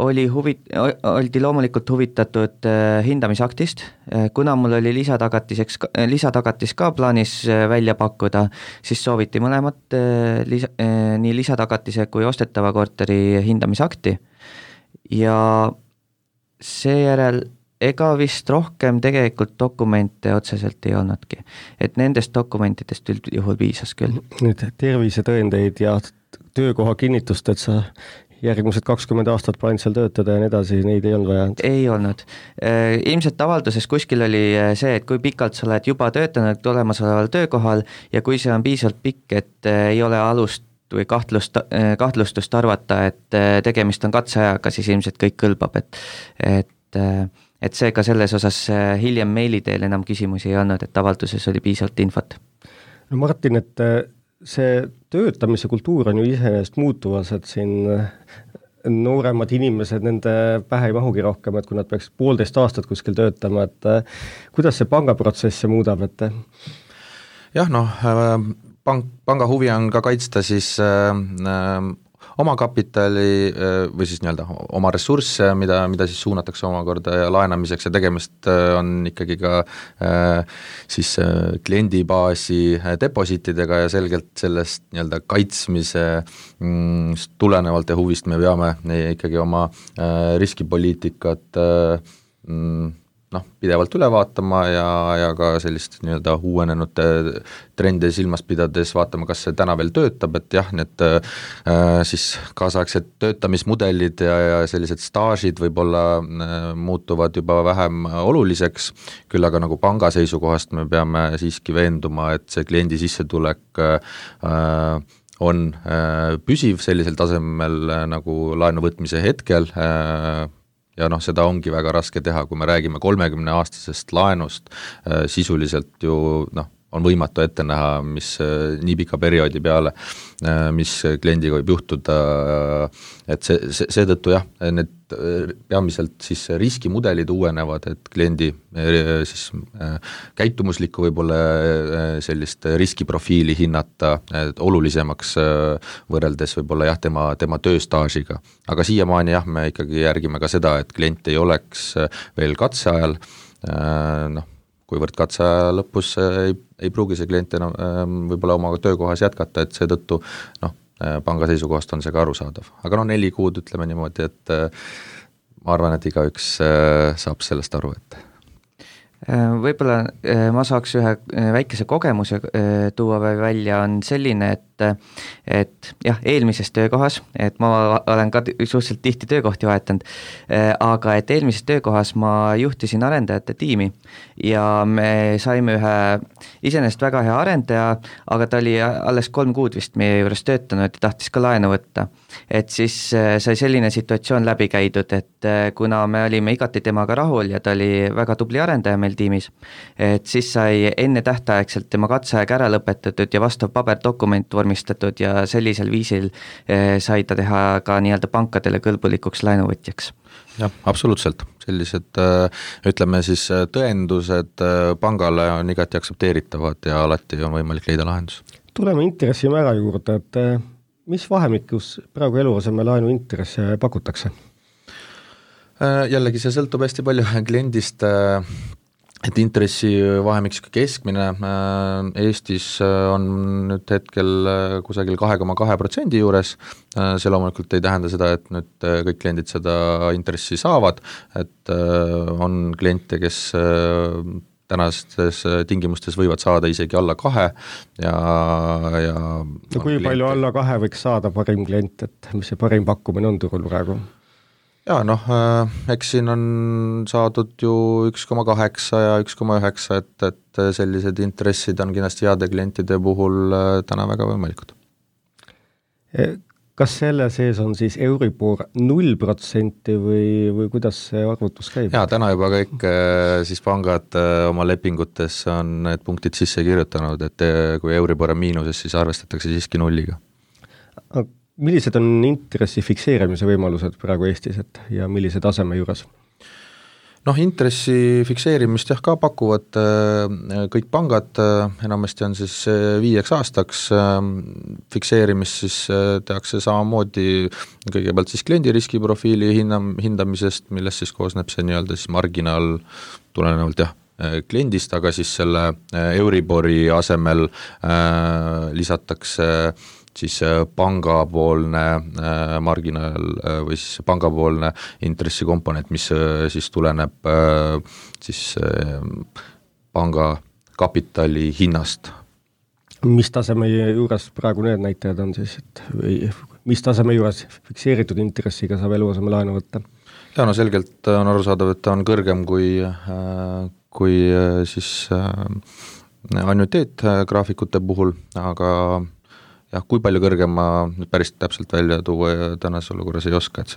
oldi loomulikult huvitatud hindamisaktist, kuna mul oli lisatagatis ka plaanis välja pakkuda, siis sooviti mõlemat nii lisatagatise kui ostetava korteri hindamisakti ja seejärel ega vist rohkem tegelikult dokumente otseselt ei olnudki. Et nendest dokumentidest üldjuhul piisas küll. Nüüd tervisetõendeid ja töökoha kinnitust, et sa järgmised 20 aastat plaanid seal töötada ja nii edasi, neid ei olnud vaja? Ei olnud. Ilmselt avalduses kuskil oli see, et kui pikalt sa oled juba töötanud olemasoleval töökohal ja kui see on piisavalt pikk, et ei ole alust või kahtlustust arvata, et tegemist on katseajaga, siis ilmselt kõik kõlbab, et seega selles osas hiljem meili teel enam küsimusi ei olnud, et avalduses oli piisavalt infot. No Martin, et see töötamise kultuur on ju iseenesest muutuvas, et siin nooremad inimesed, nende pähe ei mahugi rohkem, et kui nad peaks 1,5 aastat kuskil töötama, et kuidas see pangaprotsessi muudab, et? Jah, panga huvi on ka kaitsta siis oma kapitali või siis nii-öelda oma ressursse, mida siis suunatakse omakorda ja laenamiseks ja tegemist on ikkagi ka siis kliendibaasi depositidega ja selgelt sellest nii-öelda kaitsmise tulenevalt ja huvist me peame ikkagi oma riskipoliitikat pidevalt üle vaatama ja ka sellist nii-öelda uuenenud trende silmas pidades vaatama, kas see täna veel töötab, et jah, need siis kaasaegsed töötamismudelid ja sellised staažid võib-olla muutuvad juba vähem oluliseks, küll aga nagu panga seisukohast me peame siiski veenduma, et see kliendi sissetulek on püsiv sellisel tasemel nagu laenu võtmise hetkel, ja seda ongi väga raske teha, kui me räägime 30-aastasest laenust, sisuliselt ju on võimatu ette näha, mis nii pika perioodi peale, mis kliendiga võib juhtuda, et seetõttu jah, need peamiselt siis riskimudelid uuenevad, et kliendi siis käitumuslikku võib-olla sellist riskiprofiili hinnata olulisemaks võrreldes võib-olla jah, tema tööstaažiga. Aga siiamaani jah, me ikkagi järgime ka seda, et klient ei oleks veel katseajal, kuivõrd katseaja lõpus ei pruugi see klient enam võib-olla oma töökohas jätkata, et seetõttu panga seisukohast on see ka arusaadav. Aga 4 kuud ütleme niimoodi, et ma arvan, et igaüks saab sellest aru, et võib-olla ma saaks ühe väikese kogemuse tuua välja, on selline, et jah, eelmises töökohas, et ma olen ka suhteliselt tihti töökohti vahetanud, aga et eelmises töökohas ma juhtisin arendajate tiimi ja me saime ühe iseenesest väga hea arendaja, aga ta oli alles 3 kuud vist meie juures töötanud ja tahtis ka laenu võtta. Et siis sai selline situatsioon läbi käidud, et kuna me olime igati temaga rahul ja ta oli väga tubli arendaja meil tiimis, et siis sai enne tähtaegselt tema katseaeg ära lõpetatud ja vastav paberdokument vormistatud ja sellisel viisil sai ta teha ka nii-öelda pankadele kõlbulikuks laenuvõtjaks. Jah, absoluutselt. Sellised, ütleme siis, tõendused pangale on igati aktsepteeritavad ja alati on võimalik leida lahendus. Tuleme intressimäära juurde, et mis vahemikus praegu eluaseme laenu intresse pakutakse? Jällegi see sõltub hästi palju kliendist, et intressi vahemiks keskmine Eestis on nüüd hetkel kusagil 2,2% juures, see loomulikult ei tähenda seda, et nüüd kõik kliendid seda intressi saavad, et on kliente, kes tänastes tingimustes võivad saada isegi alla 2 ja kui palju alla 2 võiks saada parim klient, et mis see parim pakkumine on turul praegu? Ja eks siin on saadud ju 1,8 ja 1,9, et sellised intressid on kindlasti heade klientide puhul täna väga võimalikud. Kas selle sees on siis Euribor 0% või kuidas see arvutus käib? Ja täna juba kõik siis pangad oma lepingutes on need punktid sisse kirjutanud, et kui Euribor on miinuses, siis arvestatakse siiski 0. Millised on intressi fikseerimise võimalused praegu Eestis ja millise taseme juures? Intressi fikseerimist ka pakuvad kõik pangad, enamasti on siis 5 aastaks, fikseerimist siis tehakse samamoodi kõigepealt siis kliendi riskiprofiili hindamisest, millest siis koosneb see nii-öelda siis marginaal tulenevalt kliendist, aga siis selle Euribori asemel lisatakse siis pangapoolne marginaal või siis pangapoolne intressikomponent, mis siis tuleneb siis panga kapitali hinnast. Mis taseme juures praegu need näitajad on siis, et mis taseme juures fikseeritud intressiga saab eluaseme laenu võtta? Ja no selgelt on arusaadav, et ta on kõrgem kui siis annuiteet graafikute puhul, aga jah, kui palju kõrgem ma nüüd päris täpselt välja tuua ja tänases olukorras ei oska, et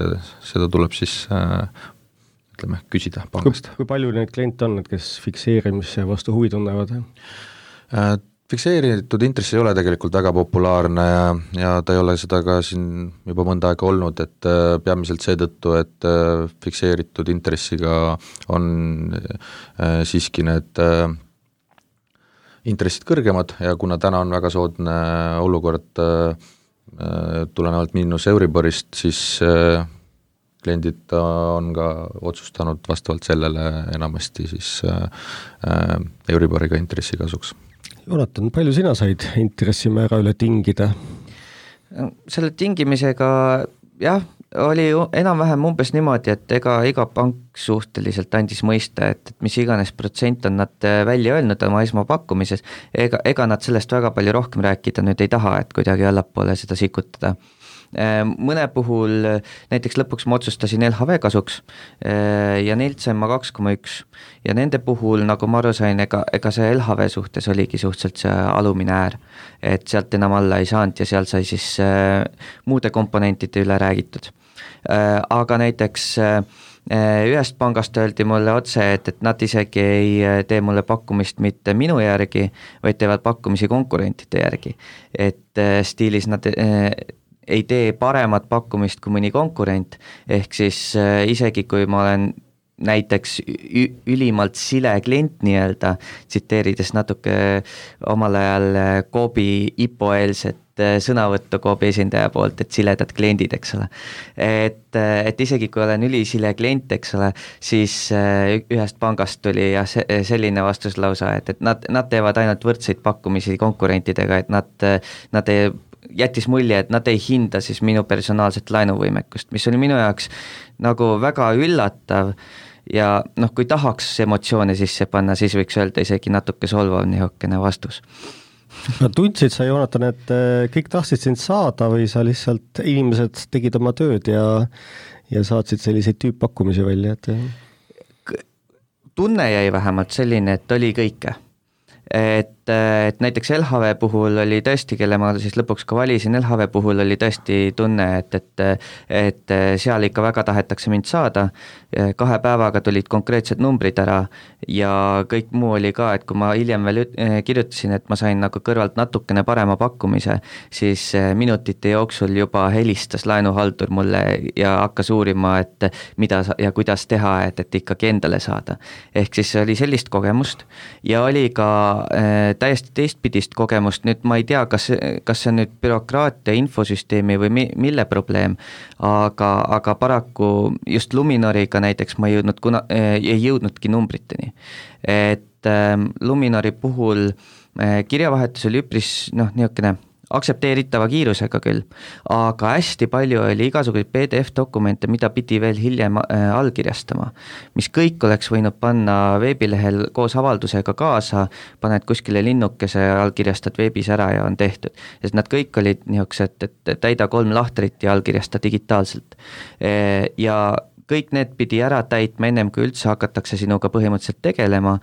seda tuleb siis ütleme, küsida pangast. Kui palju neid kliente on, kes fikseerimise vastu huvi tunnevad? Fikseeritud intress ei ole tegelikult väga populaarne ja ta ei ole seda ka siin juba mõnda aega olnud, et peamiselt seetõttu, et fikseeritud intressiga on siiski need intressid kõrgemad ja kuna täna on väga soodne olukord tulenevalt miinus Euriborist, siis kliendid on ka otsustanud vastavalt sellele enamasti siis Euriboriga intressi kasuks. Jonatan, palju sina said intressimäära üle tingida? Selle tingimisega jah, oli enam-vähem umbes niimoodi, et iga pank suhteliselt andis mõista, et mis iganes protsent on nad välja öelnud oma esmapakkumises, ega nad sellest väga palju rohkem rääkida nüüd ei taha, et kuidagi allapoole seda sikutada. Mõne puhul näiteks lõpuks ma otsustasin LHV kasuks ja neilt sain ma 2,1 ja nende puhul, nagu ma aru sain, ega see LHV suhtes oligi suhteliselt see alumine äär, et sealt enam alla ei saanud ja seal sai siis muude komponentide üle räägitud. Aga näiteks ühest pangast öeldi mulle otse, et nad isegi ei tee mulle pakkumist mitte minu järgi, vaid teevad pakkumisi konkurentide järgi, et stiilis nad ei tee paremat pakkumist kui mõni konkurent, ehk siis isegi kui ma olen näiteks ülimalt sile klient nii-öelda, tsiteerides natuke omal ajal Coopi IPO-eelset sõnavõttu Coopi esindaja poolt, et siledad kliendid, eks ole. Et isegi kui olen ülisile klient, eks ole, siis ühest pangast tuli ja selline vastus lausa, et nad teevad ainult võrdseid pakkumisi konkurentidega, et nad jättis mulje, et nad ei hinda siis minu personaalset laenuvõimekust, mis oli minu jaoks nagu väga üllatav ja noh, kui tahaks emotsioone sisse panna, siis võiks öelda isegi natuke solvav niisugune vastus. No tundsid sa, Jonatan, et kõik tahtsid sind saada või sa lihtsalt inimesed tegid oma tööd ja saatsid selliseid tüüppakkumisi välja? Tunne jäi vähemalt selline, et oli kõike. Et näiteks LHV puhul oli tõesti, kelle ma siis lõpuks ka valisin, LHV puhul oli tõesti tunne, et seal ikka väga tahetakse mind saada, 2 päevaga tulid konkreetsed numbrid ära ja kõik muu oli ka, et kui ma hiljem veel kirjutasin, et ma sain nagu kõrvalt natukene parema pakkumise, siis minutite jooksul juba helistas laenuhaldur mulle ja hakkas uurima, et mida ja kuidas teha, et ikkagi endale saada. Ehk siis oli sellist kogemust ja oli ka täiesti teistpidist kogemust, nüüd ma ei tea, kas see on nüüd bürokraatia infosüsteemi või mille probleem, aga paraku just Luminoriga näiteks ma ei jõudnudki numbriteni. Et Luminori puhul kirjavahetus oli üpris niisugune aktsepteeritava kiirusega küll, aga hästi palju oli igasuguseid PDF-dokumente, mida pidi veel hiljem allkirjastama, mis kõik oleks võinud panna veebilehel koos avaldusega kaasa, paned kuskile linnukese, allkirjastad veebis ära ja on tehtud. Sest nad kõik olid niisugused, et täida 3 lahtrit ja allkirjasta digitaalselt. Ja kõik need pidi ära täitma ennem, kui üldse hakatakse sinuga põhimõtteliselt tegelema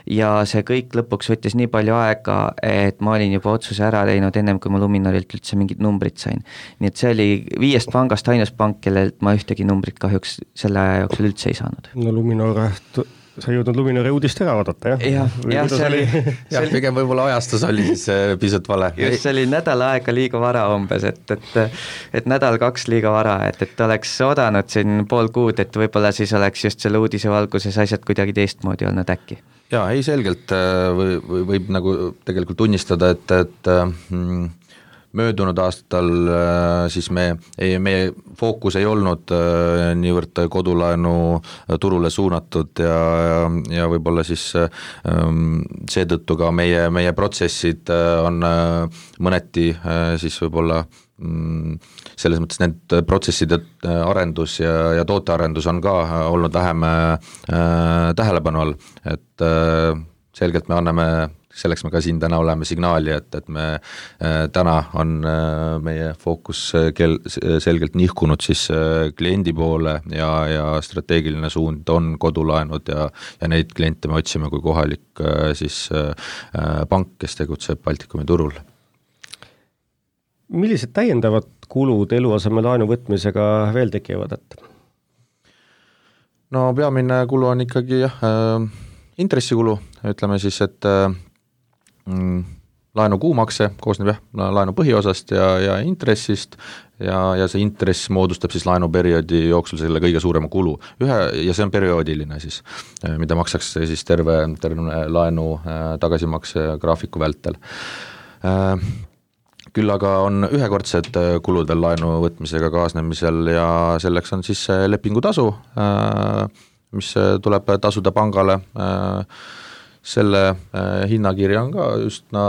ja see kõik lõpuks võttis nii palju aega, et ma olin juba otsuse ära teinud ennem, kui ma Luminorilt üldse mingid numbrid sain. Nii et see oli 5 pangast ainus pank, kellelt ma ühtegi numbrit kahjuks selle aja jooksul üldse ei saanud. No Luminor, sa ei jõudnud Luminori uudist ära vaadata, jah? Jah, see oli... pigem võib-olla ajastus oli siis pisut vale. Just, see oli nädal aega liiga vara umbes, et nädal 2 liiga vara, et oleks oodanud siin pool kuud, et võib-olla siis oleks just selle uudise valguses asjad kuidagi teistmoodi olnud äkki. Jaa, ei selgelt võib nagu tegelikult tunnistada, et möödunud aastal siis meie fookus ei olnud niivõrd kodulaenu turule suunatud ja võib-olla siis seetõttu ka meie protsessid on mõneti siis võib-olla selles mõttes need protsesside arendus ja tootearendus on ka olnud vähem tähelepanu all, et selgelt me anname, selleks me ka siin täna oleme signaali, et me täna on meie fookus selgelt nihkunud siis kliendi poole ja strateegiline suund on kodulaenud ja neid kliente me otsime kui kohalik siis pank, kes tegutseb Baltikumi turul. Millised täiendavad kulud eluasemelaenu võtmisega veel tekivad? No peamine kulu on ikkagi intressikulu, ütleme siis, et laenu kuumakse koosneb laenu põhiosast ja intressist ja see intress moodustab siis laenuperioodi jooksul selle kõige suurema kulu. Ja see on perioodiline siis, mida makstakse siis terve laenu tagasimakse graafiku vältel. Küll aga on ühekordsed kulud veel laenu võtmisega kaasnemisel ja selleks on siis lepingutasu, mis tuleb tasuda pangale. Selle hinnakirja on ka üsna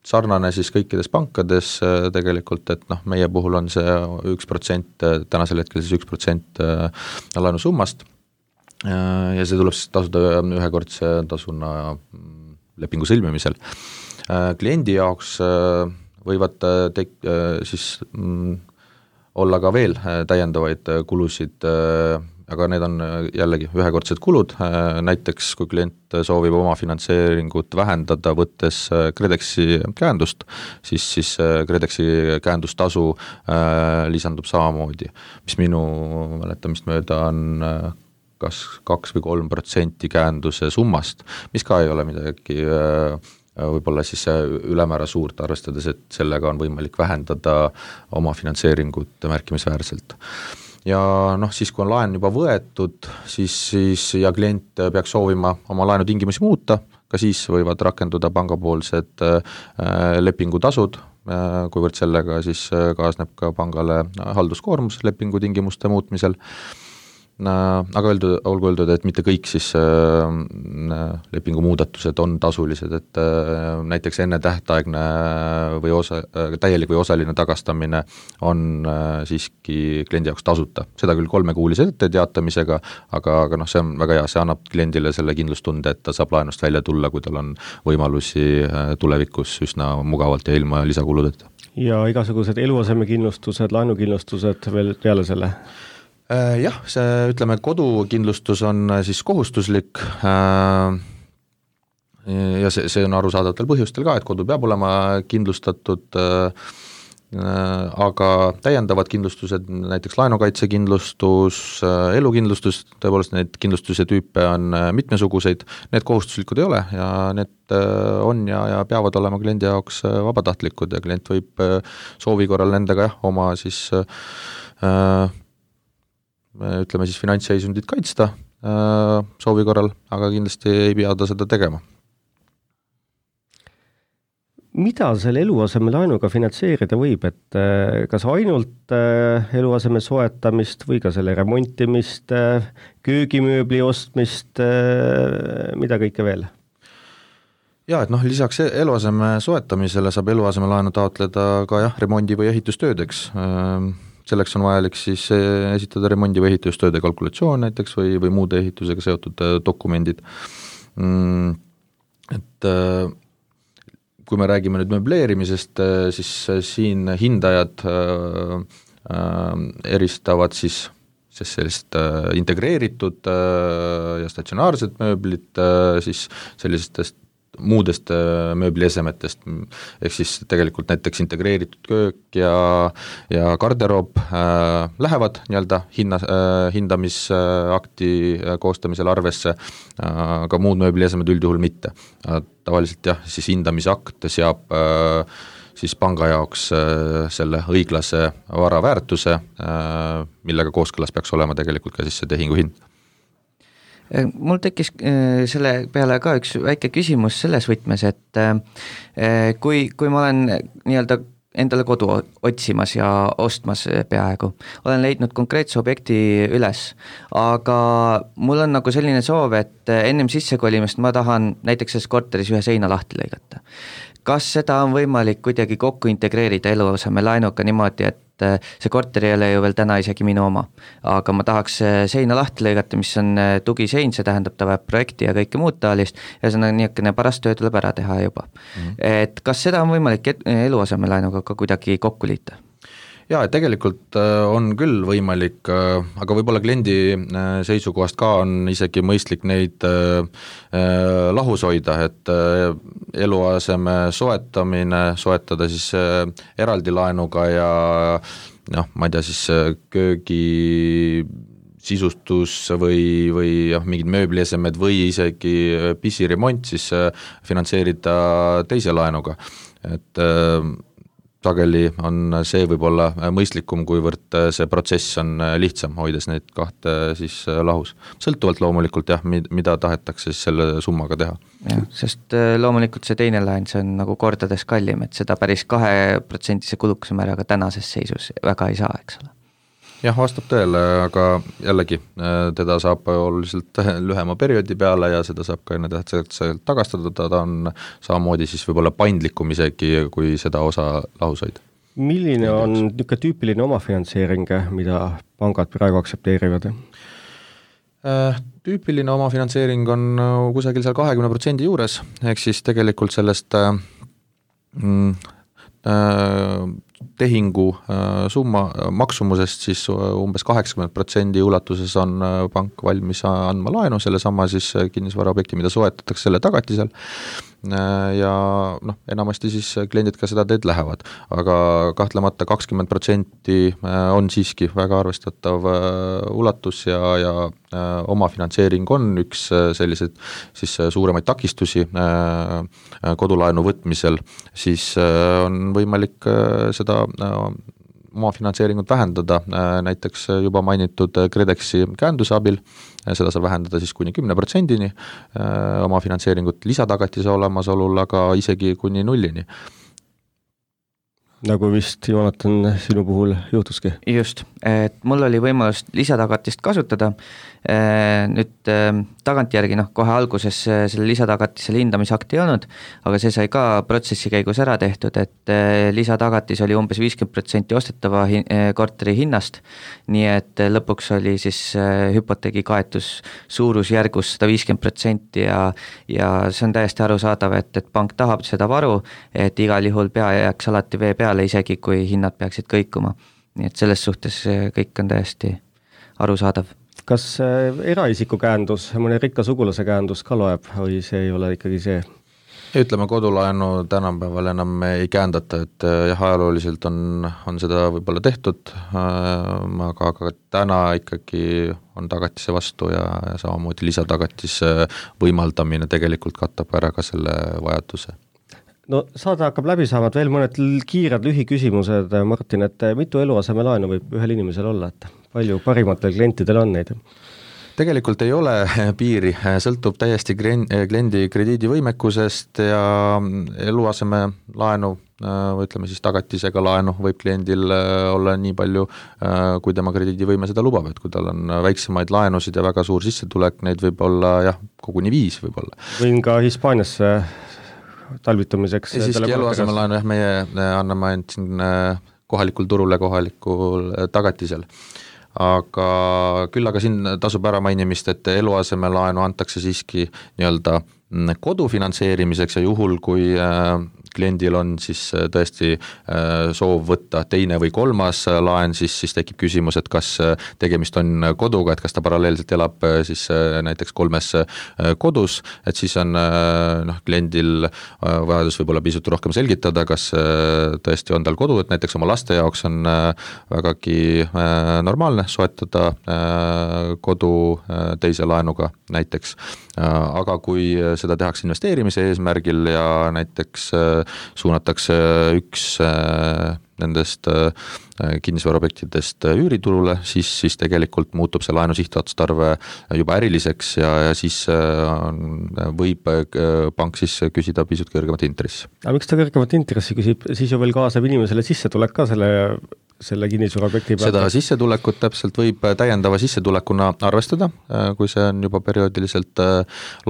sarnane siis kõikides pankades tegelikult, et meie puhul on see 1%, tänasel hetkel siis 1% laenu summast ja see tuleb siis tasuda ühekordse tasuna lepingu sõlmimisel. Kliendi jaoks võivad siis olla ka veel täiendavaid kulusid, aga need on jällegi ühekordsed kulud, näiteks kui klient soovib oma finantseeringut vähendada, võttes KredExi käendust, siis KredExi käendustasu lisandub samamoodi, mis minu mäletamist mööda on kas 2 või 3% käenduse summast, mis ka ei ole midagi võib-olla siis ülemäära suurt, arvestades, et sellega on võimalik vähendada oma finantseeringut märkimisväärselt. Ja siis kui on laen juba võetud, siis ja klient peaks soovima oma laenu tingimusi muuta, ka siis võivad rakenduda pangapoolsed lepingutasud, kuivõrd sellega siis kaasneb ka pangale halduskoormus lepingu tingimuste muutmisel. Aga olgu öeldud, et mitte kõik siis lepingu muudatused on tasulised, et näiteks enne tähtaegne või täielik või osaline tagastamine on siiski kliendi jaoks tasuta. Seda küll 3-kuulise etteteatamisega, aga see on väga hea, see annab kliendile selle kindlustunde, et ta saab laenust välja tulla, kui tal on võimalusi tulevikus üsna mugavalt ja ilma lisakuludeta. Ja igasugused eluasemekindlustused, laenukindlustused veel peale selle? Jah, see ütleme, kodukindlustus on siis kohustuslik ja see on arusaadavatel põhjustel ka, et kodu peab olema kindlustatud, aga täiendavad kindlustused, näiteks laenukaitsekindlustus, elukindlustus, tõepoolest neid kindlustuse tüüpe on mitmesuguseid, need kohustuslikud ei ole ja need on ja peavad olema kliendi jaoks vabatahtlikud ja klient võib soovi korral nendega oma siis ütleme siis finantsseisundit kaitsta soovi korral, aga kindlasti ei pea ta seda tegema. Mida selle eluasemelaenuga finantseerida võib, et kas ainult eluaseme soetamist või ka selle remontimist, köögimööbli ostmist, mida kõike veel? Ja, et lisaks eluaseme soetamisele saab eluasemelaenu taotleda ka remondi- või ehitustöödeks. Selleks on vajalik siis esitada remondi- või ehitustööde kalkulatsioon näiteks või muude ehitusega seotud dokumendid. Et kui me räägime nüüd möbleerimisest, siis siin hindajad eristavad siis sellist integreeritud ja statsionaarset mööblit siis sellistest muudest mööbliesemetest, ehk siis tegelikult näiteks integreeritud köök ja garderoob lähevad nii-öelda hindamisakti koostamisel arvesse, aga muud mööbliesemed üldjuhul mitte. Tavaliselt siis hindamisakt seab siis panga jaoks selle õiglase vara väärtuse, millega kooskõlas peaks olema tegelikult ka siis see tehingu hind. Mul tekkis selle peale ka üks väike küsimus selles võtmes, et kui ma olen nii-öelda endale kodu otsimas ja ostmas peaaegu. Olen leidnud konkreetse objekti üles, aga mul on nagu selline soov, et ennem sissekolimist ma tahan näiteks selles korteris ühe seina lahti lõigata. Kas seda on võimalik kuidagi kokku integreerida eluaseme laenuga niimoodi, et see korter ei ole ju veel täna isegi minu oma, aga ma tahaks seina lahti lõigata, mis on tugisein, see tähendab ta vajab projekti ja kõike muud taolist ja see on niisugune parast töö tuleb ära teha juba. Et kas seda on võimalik eluaseme laenuga ka kuidagi kokku liita? Jaa, tegelikult on küll võimalik, aga võib-olla kliendi seisukohast ka on isegi mõistlik neid lahus hoida, et eluaseme soetada siis eraldi laenuga ja ma ei tea, siis köögi sisustus või mingid mööbliesemed või isegi pisiremont siis finantseerida teise laenuga, et sageli on see võib-olla mõistlikum, kuivõrd see protsess on lihtsam, hoides neid kahte siis lahus. Sõltuvalt loomulikult mida tahetakse siis selle summaga teha. Ja, sest loomulikult see teine laen, see on nagu kordades kallim, et seda päris 2% kulukuse määraga tänases seisus väga ei saa, eks ole. Jah, vastab tõele, aga jällegi teda saab oluliselt lühema perioodi peale ja seda saab ka enne tähtsalt tagastada, ta on samamoodi siis võib-olla paindlikum isegi, kui seda osa lahus hoida. Milline on niisugune tüüpiline omafinantseering, mida pangad praegu aktsepteerivad? Tüüpiline omafinantseering on kusagil seal 20% juures, ehk siis tegelikult sellest tehingu summa maksumusest siis umbes 80% ulatuses on pank valmis andma laenu, selle sama siis kinnisvaraobjekti, mida soetatakse selle tagatisel ja enamasti siis kliendid ka seda teed lähevad, aga kahtlemata 20% on siiski väga arvestatav ulatus ja omafinantseering on üks selliseid siis suuremaid takistusi kodulaenu võtmisel, siis on võimalik seda omafinantseeringut vähendada, näiteks juba mainitud KredExi käenduse abil, seda saab vähendada siis kuni 10%-ni omafinantseeringut lisatagatise olemasolul, aga isegi kuni 0-ni. Nagu vist, Joonatan, sinu puhul juhtuski? Just, et mul oli võimalus lisatagatist kasutada, nüüd tagantjärgi, kohe alguses selle lisatagatisele hindamisakti ei olnud, aga see sai ka protsessi käigus ära tehtud, et lisatagatis oli umbes 50% ostetava korteri hinnast, nii et lõpuks oli siis hüpoteegi kaetus suurusjärgus 150% ja see on täiesti arusaadav, et pank tahab seda varu, et igal juhul pea jääks alati vee peale, isegi kui hinnad peaksid kõikuma. Nii et selles suhtes kõik on täiesti arusaadav. Kas eraisiku käendus, mõne rikka sugulase käendus ka loeb või see ei ole ikkagi see? Ütleme, kodulaenu tänapäeval enam ei käendata, et ajalooliselt on seda võib-olla tehtud, aga täna ikkagi on tagatise vastu ja samamoodi lisatagatise võimaldamine tegelikult katab ära ka selle vajaduse. No saade hakkab läbi saama, veel mõned kiired lühiküsimused, Martin, et mitu eluaseme laenu võib ühel inimesel olla, et palju parimatel klientidel on neid? Tegelikult ei ole piiri, sõltub täiesti kliendi krediidivõimekusest ja eluaseme laenu, ütleme siis tagatisega laenu võib kliendil olla nii palju, kui tema krediidivõime seda lubab, et kui tal on väiksemaid laenusid ja väga suur sissetulek, neid võib olla koguni 5 võib-olla. Võin ka Hispaaniasse talvitamiseks. Ja siiski eluaseme laenu, meie anname ainult siin kohalikul turule kohalikul tagatisel. Aga küll aga siin tasub ära mainimist, et eluaseme laenu antakse siiski nii-öelda kodu finantseerimiseks ja juhul, kui kliendil on siis tõesti soov võtta teine või kolmas laen, siis tekib küsimus, et kas tegemist on koduga, et kas ta paralleelselt elab siis näiteks 3 kodus, et siis on kliendil vajadus võib-olla pisut rohkem selgitada, kas tõesti on tal kodu, et näiteks oma laste jaoks on vägagi normaalne soetada kodu teise laenuga näiteks, aga kui seda tehakse investeerimise eesmärgil ja näiteks suunatakse üks nendest kinnisvaraobjektidest üüriturule, siis tegelikult muutub see laenu sihtotstarve juba äriliseks ja siis võib pank siis küsida pisut kõrgemat intressi. Aga miks ta kõrgemat intressi küsib, siis ju veel kaasab inimesele sissetulek ka selle kinnisvaraobjekti pealt? Seda sissetulekut täpselt võib täiendava sissetulekuna arvestada, kui see on juba perioodiliselt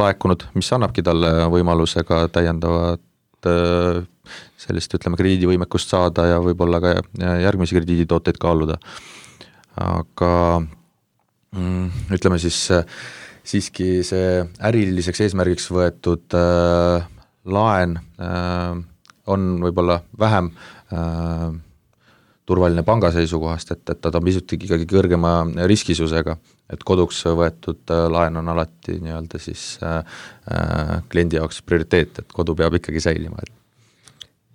laekunud, mis annabki talle võimaluse ka täiendavat sellist, ütleme, krediidivõimekust saada ja võib-olla ka järgmisi krediiditooteid kaaluda. Aga ütleme siis siiski see äriliseks eesmärgiks võetud laen on võib-olla vähem turvaline panga seisukohast, et ta on pisut ikkagi kõrgema riskisusega, et koduks võetud laen on alati nii-öelda siis kliendi jaoks prioriteet, et kodu peab ikkagi säilima.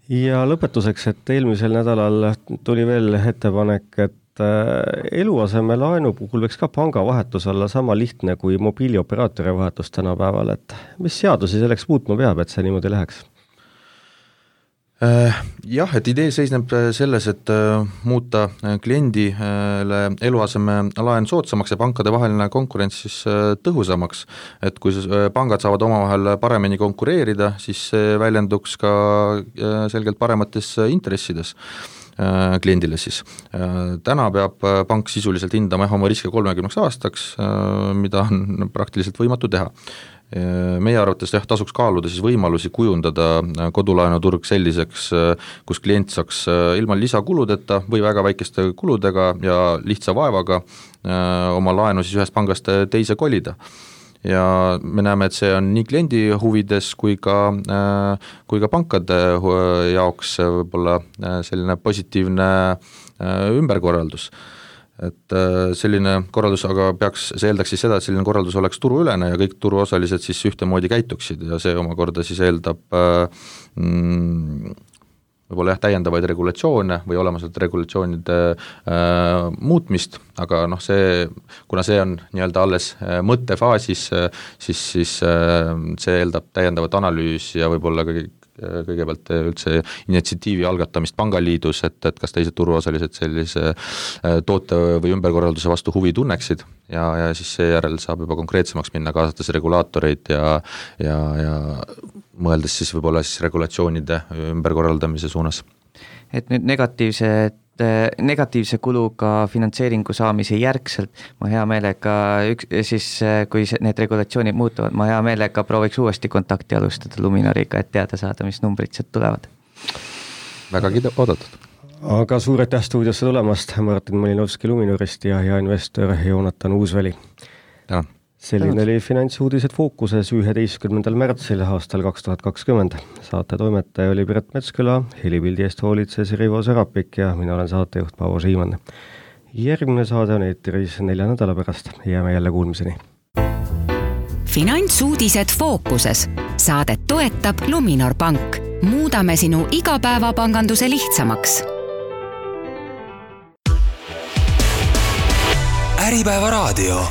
Ja lõpetuseks, et eelmisel nädalal tuli veel ettepanek, et eluaseme laenu puhul võiks ka panga vahetus olla sama lihtne kui mobiilioperaatori vahetus tänapäeval, et mis seadusi selleks muutma peab, et see niimoodi läheks? Jah, et idee seisneb selles, et muuta kliendile eluaseme laen soodsamaks ja pankade vaheline konkurents siis tõhusamaks, et kui pangad saavad omavahel paremini konkureerida, siis see väljenduks ka selgelt paremates intressides kliendile siis. Täna peab pank sisuliselt hindama oma riske 30 aastaks, mida on praktiliselt võimatu teha. Meie arvates tasuks kaaluda siis võimalusi kujundada kodulaenuturg selliseks, kus klient saaks ilma lisakuludeta või väga väikeste kuludega ja lihtsa vaevaga oma laenu siis ühest pangast teise kolida. Ja me näeme, et see on nii kliendi huvides kui ka pankade jaoks võib-olla selline positiivne ümberkorraldus. Et selline korraldus aga see eeldaks siis seda, et selline korraldus oleks turuülene ja kõik turuosalised siis ühtemoodi käituksid ja see omakorda siis eeldab võib-olla täiendavaid regulatsioone või olemasolevate regulatsioonide muutmist, aga kuna see on nii-öelda alles mõttefaasis, siis see eeldab täiendavat analüüsi ja võib-olla kõigepealt üldse initsiatiivi algatamist pangaliidus, et kas teised turuosalised sellise toote või ümberkorralduse vastu huvi tunneksid ja siis seejärel saab juba konkreetsemaks minna, kaasates regulaatoreid ja mõeldes siis võib-olla siis regulatsioonide ümberkorraldamise suunas. Et nüüd negatiivse kuluga finantseeringu saamise järgselt ma hea meelega, kui need regulatsioonid muutuvad, ma hea meelega prooviks uuesti kontakti alustada Luminoriga, et teada saada, mis numbrid sealt tulevad. Vägagi oodatud. Aga suur aitäh stuudiosse tulemast, Martin Malinovski Luminorist ja investor Joonatan Uusväli. Tänan. Selline oli Finantsuudised fookuses 11. märtsil aastal 2020. Saate toimetaja oli Piret Metsküla, helipildi eest hoolitses Rivo Sarapik ja mina olen saatejuht Paavo Siimann. Järgmine saade on eetris 4 nädala pärast. Jääme jälle kuulmiseni. Finantsuudised fookuses. Saadet toetab Luminor Pank. Muudame sinu igapäevapanganduse lihtsamaks. Äripäeva raadio.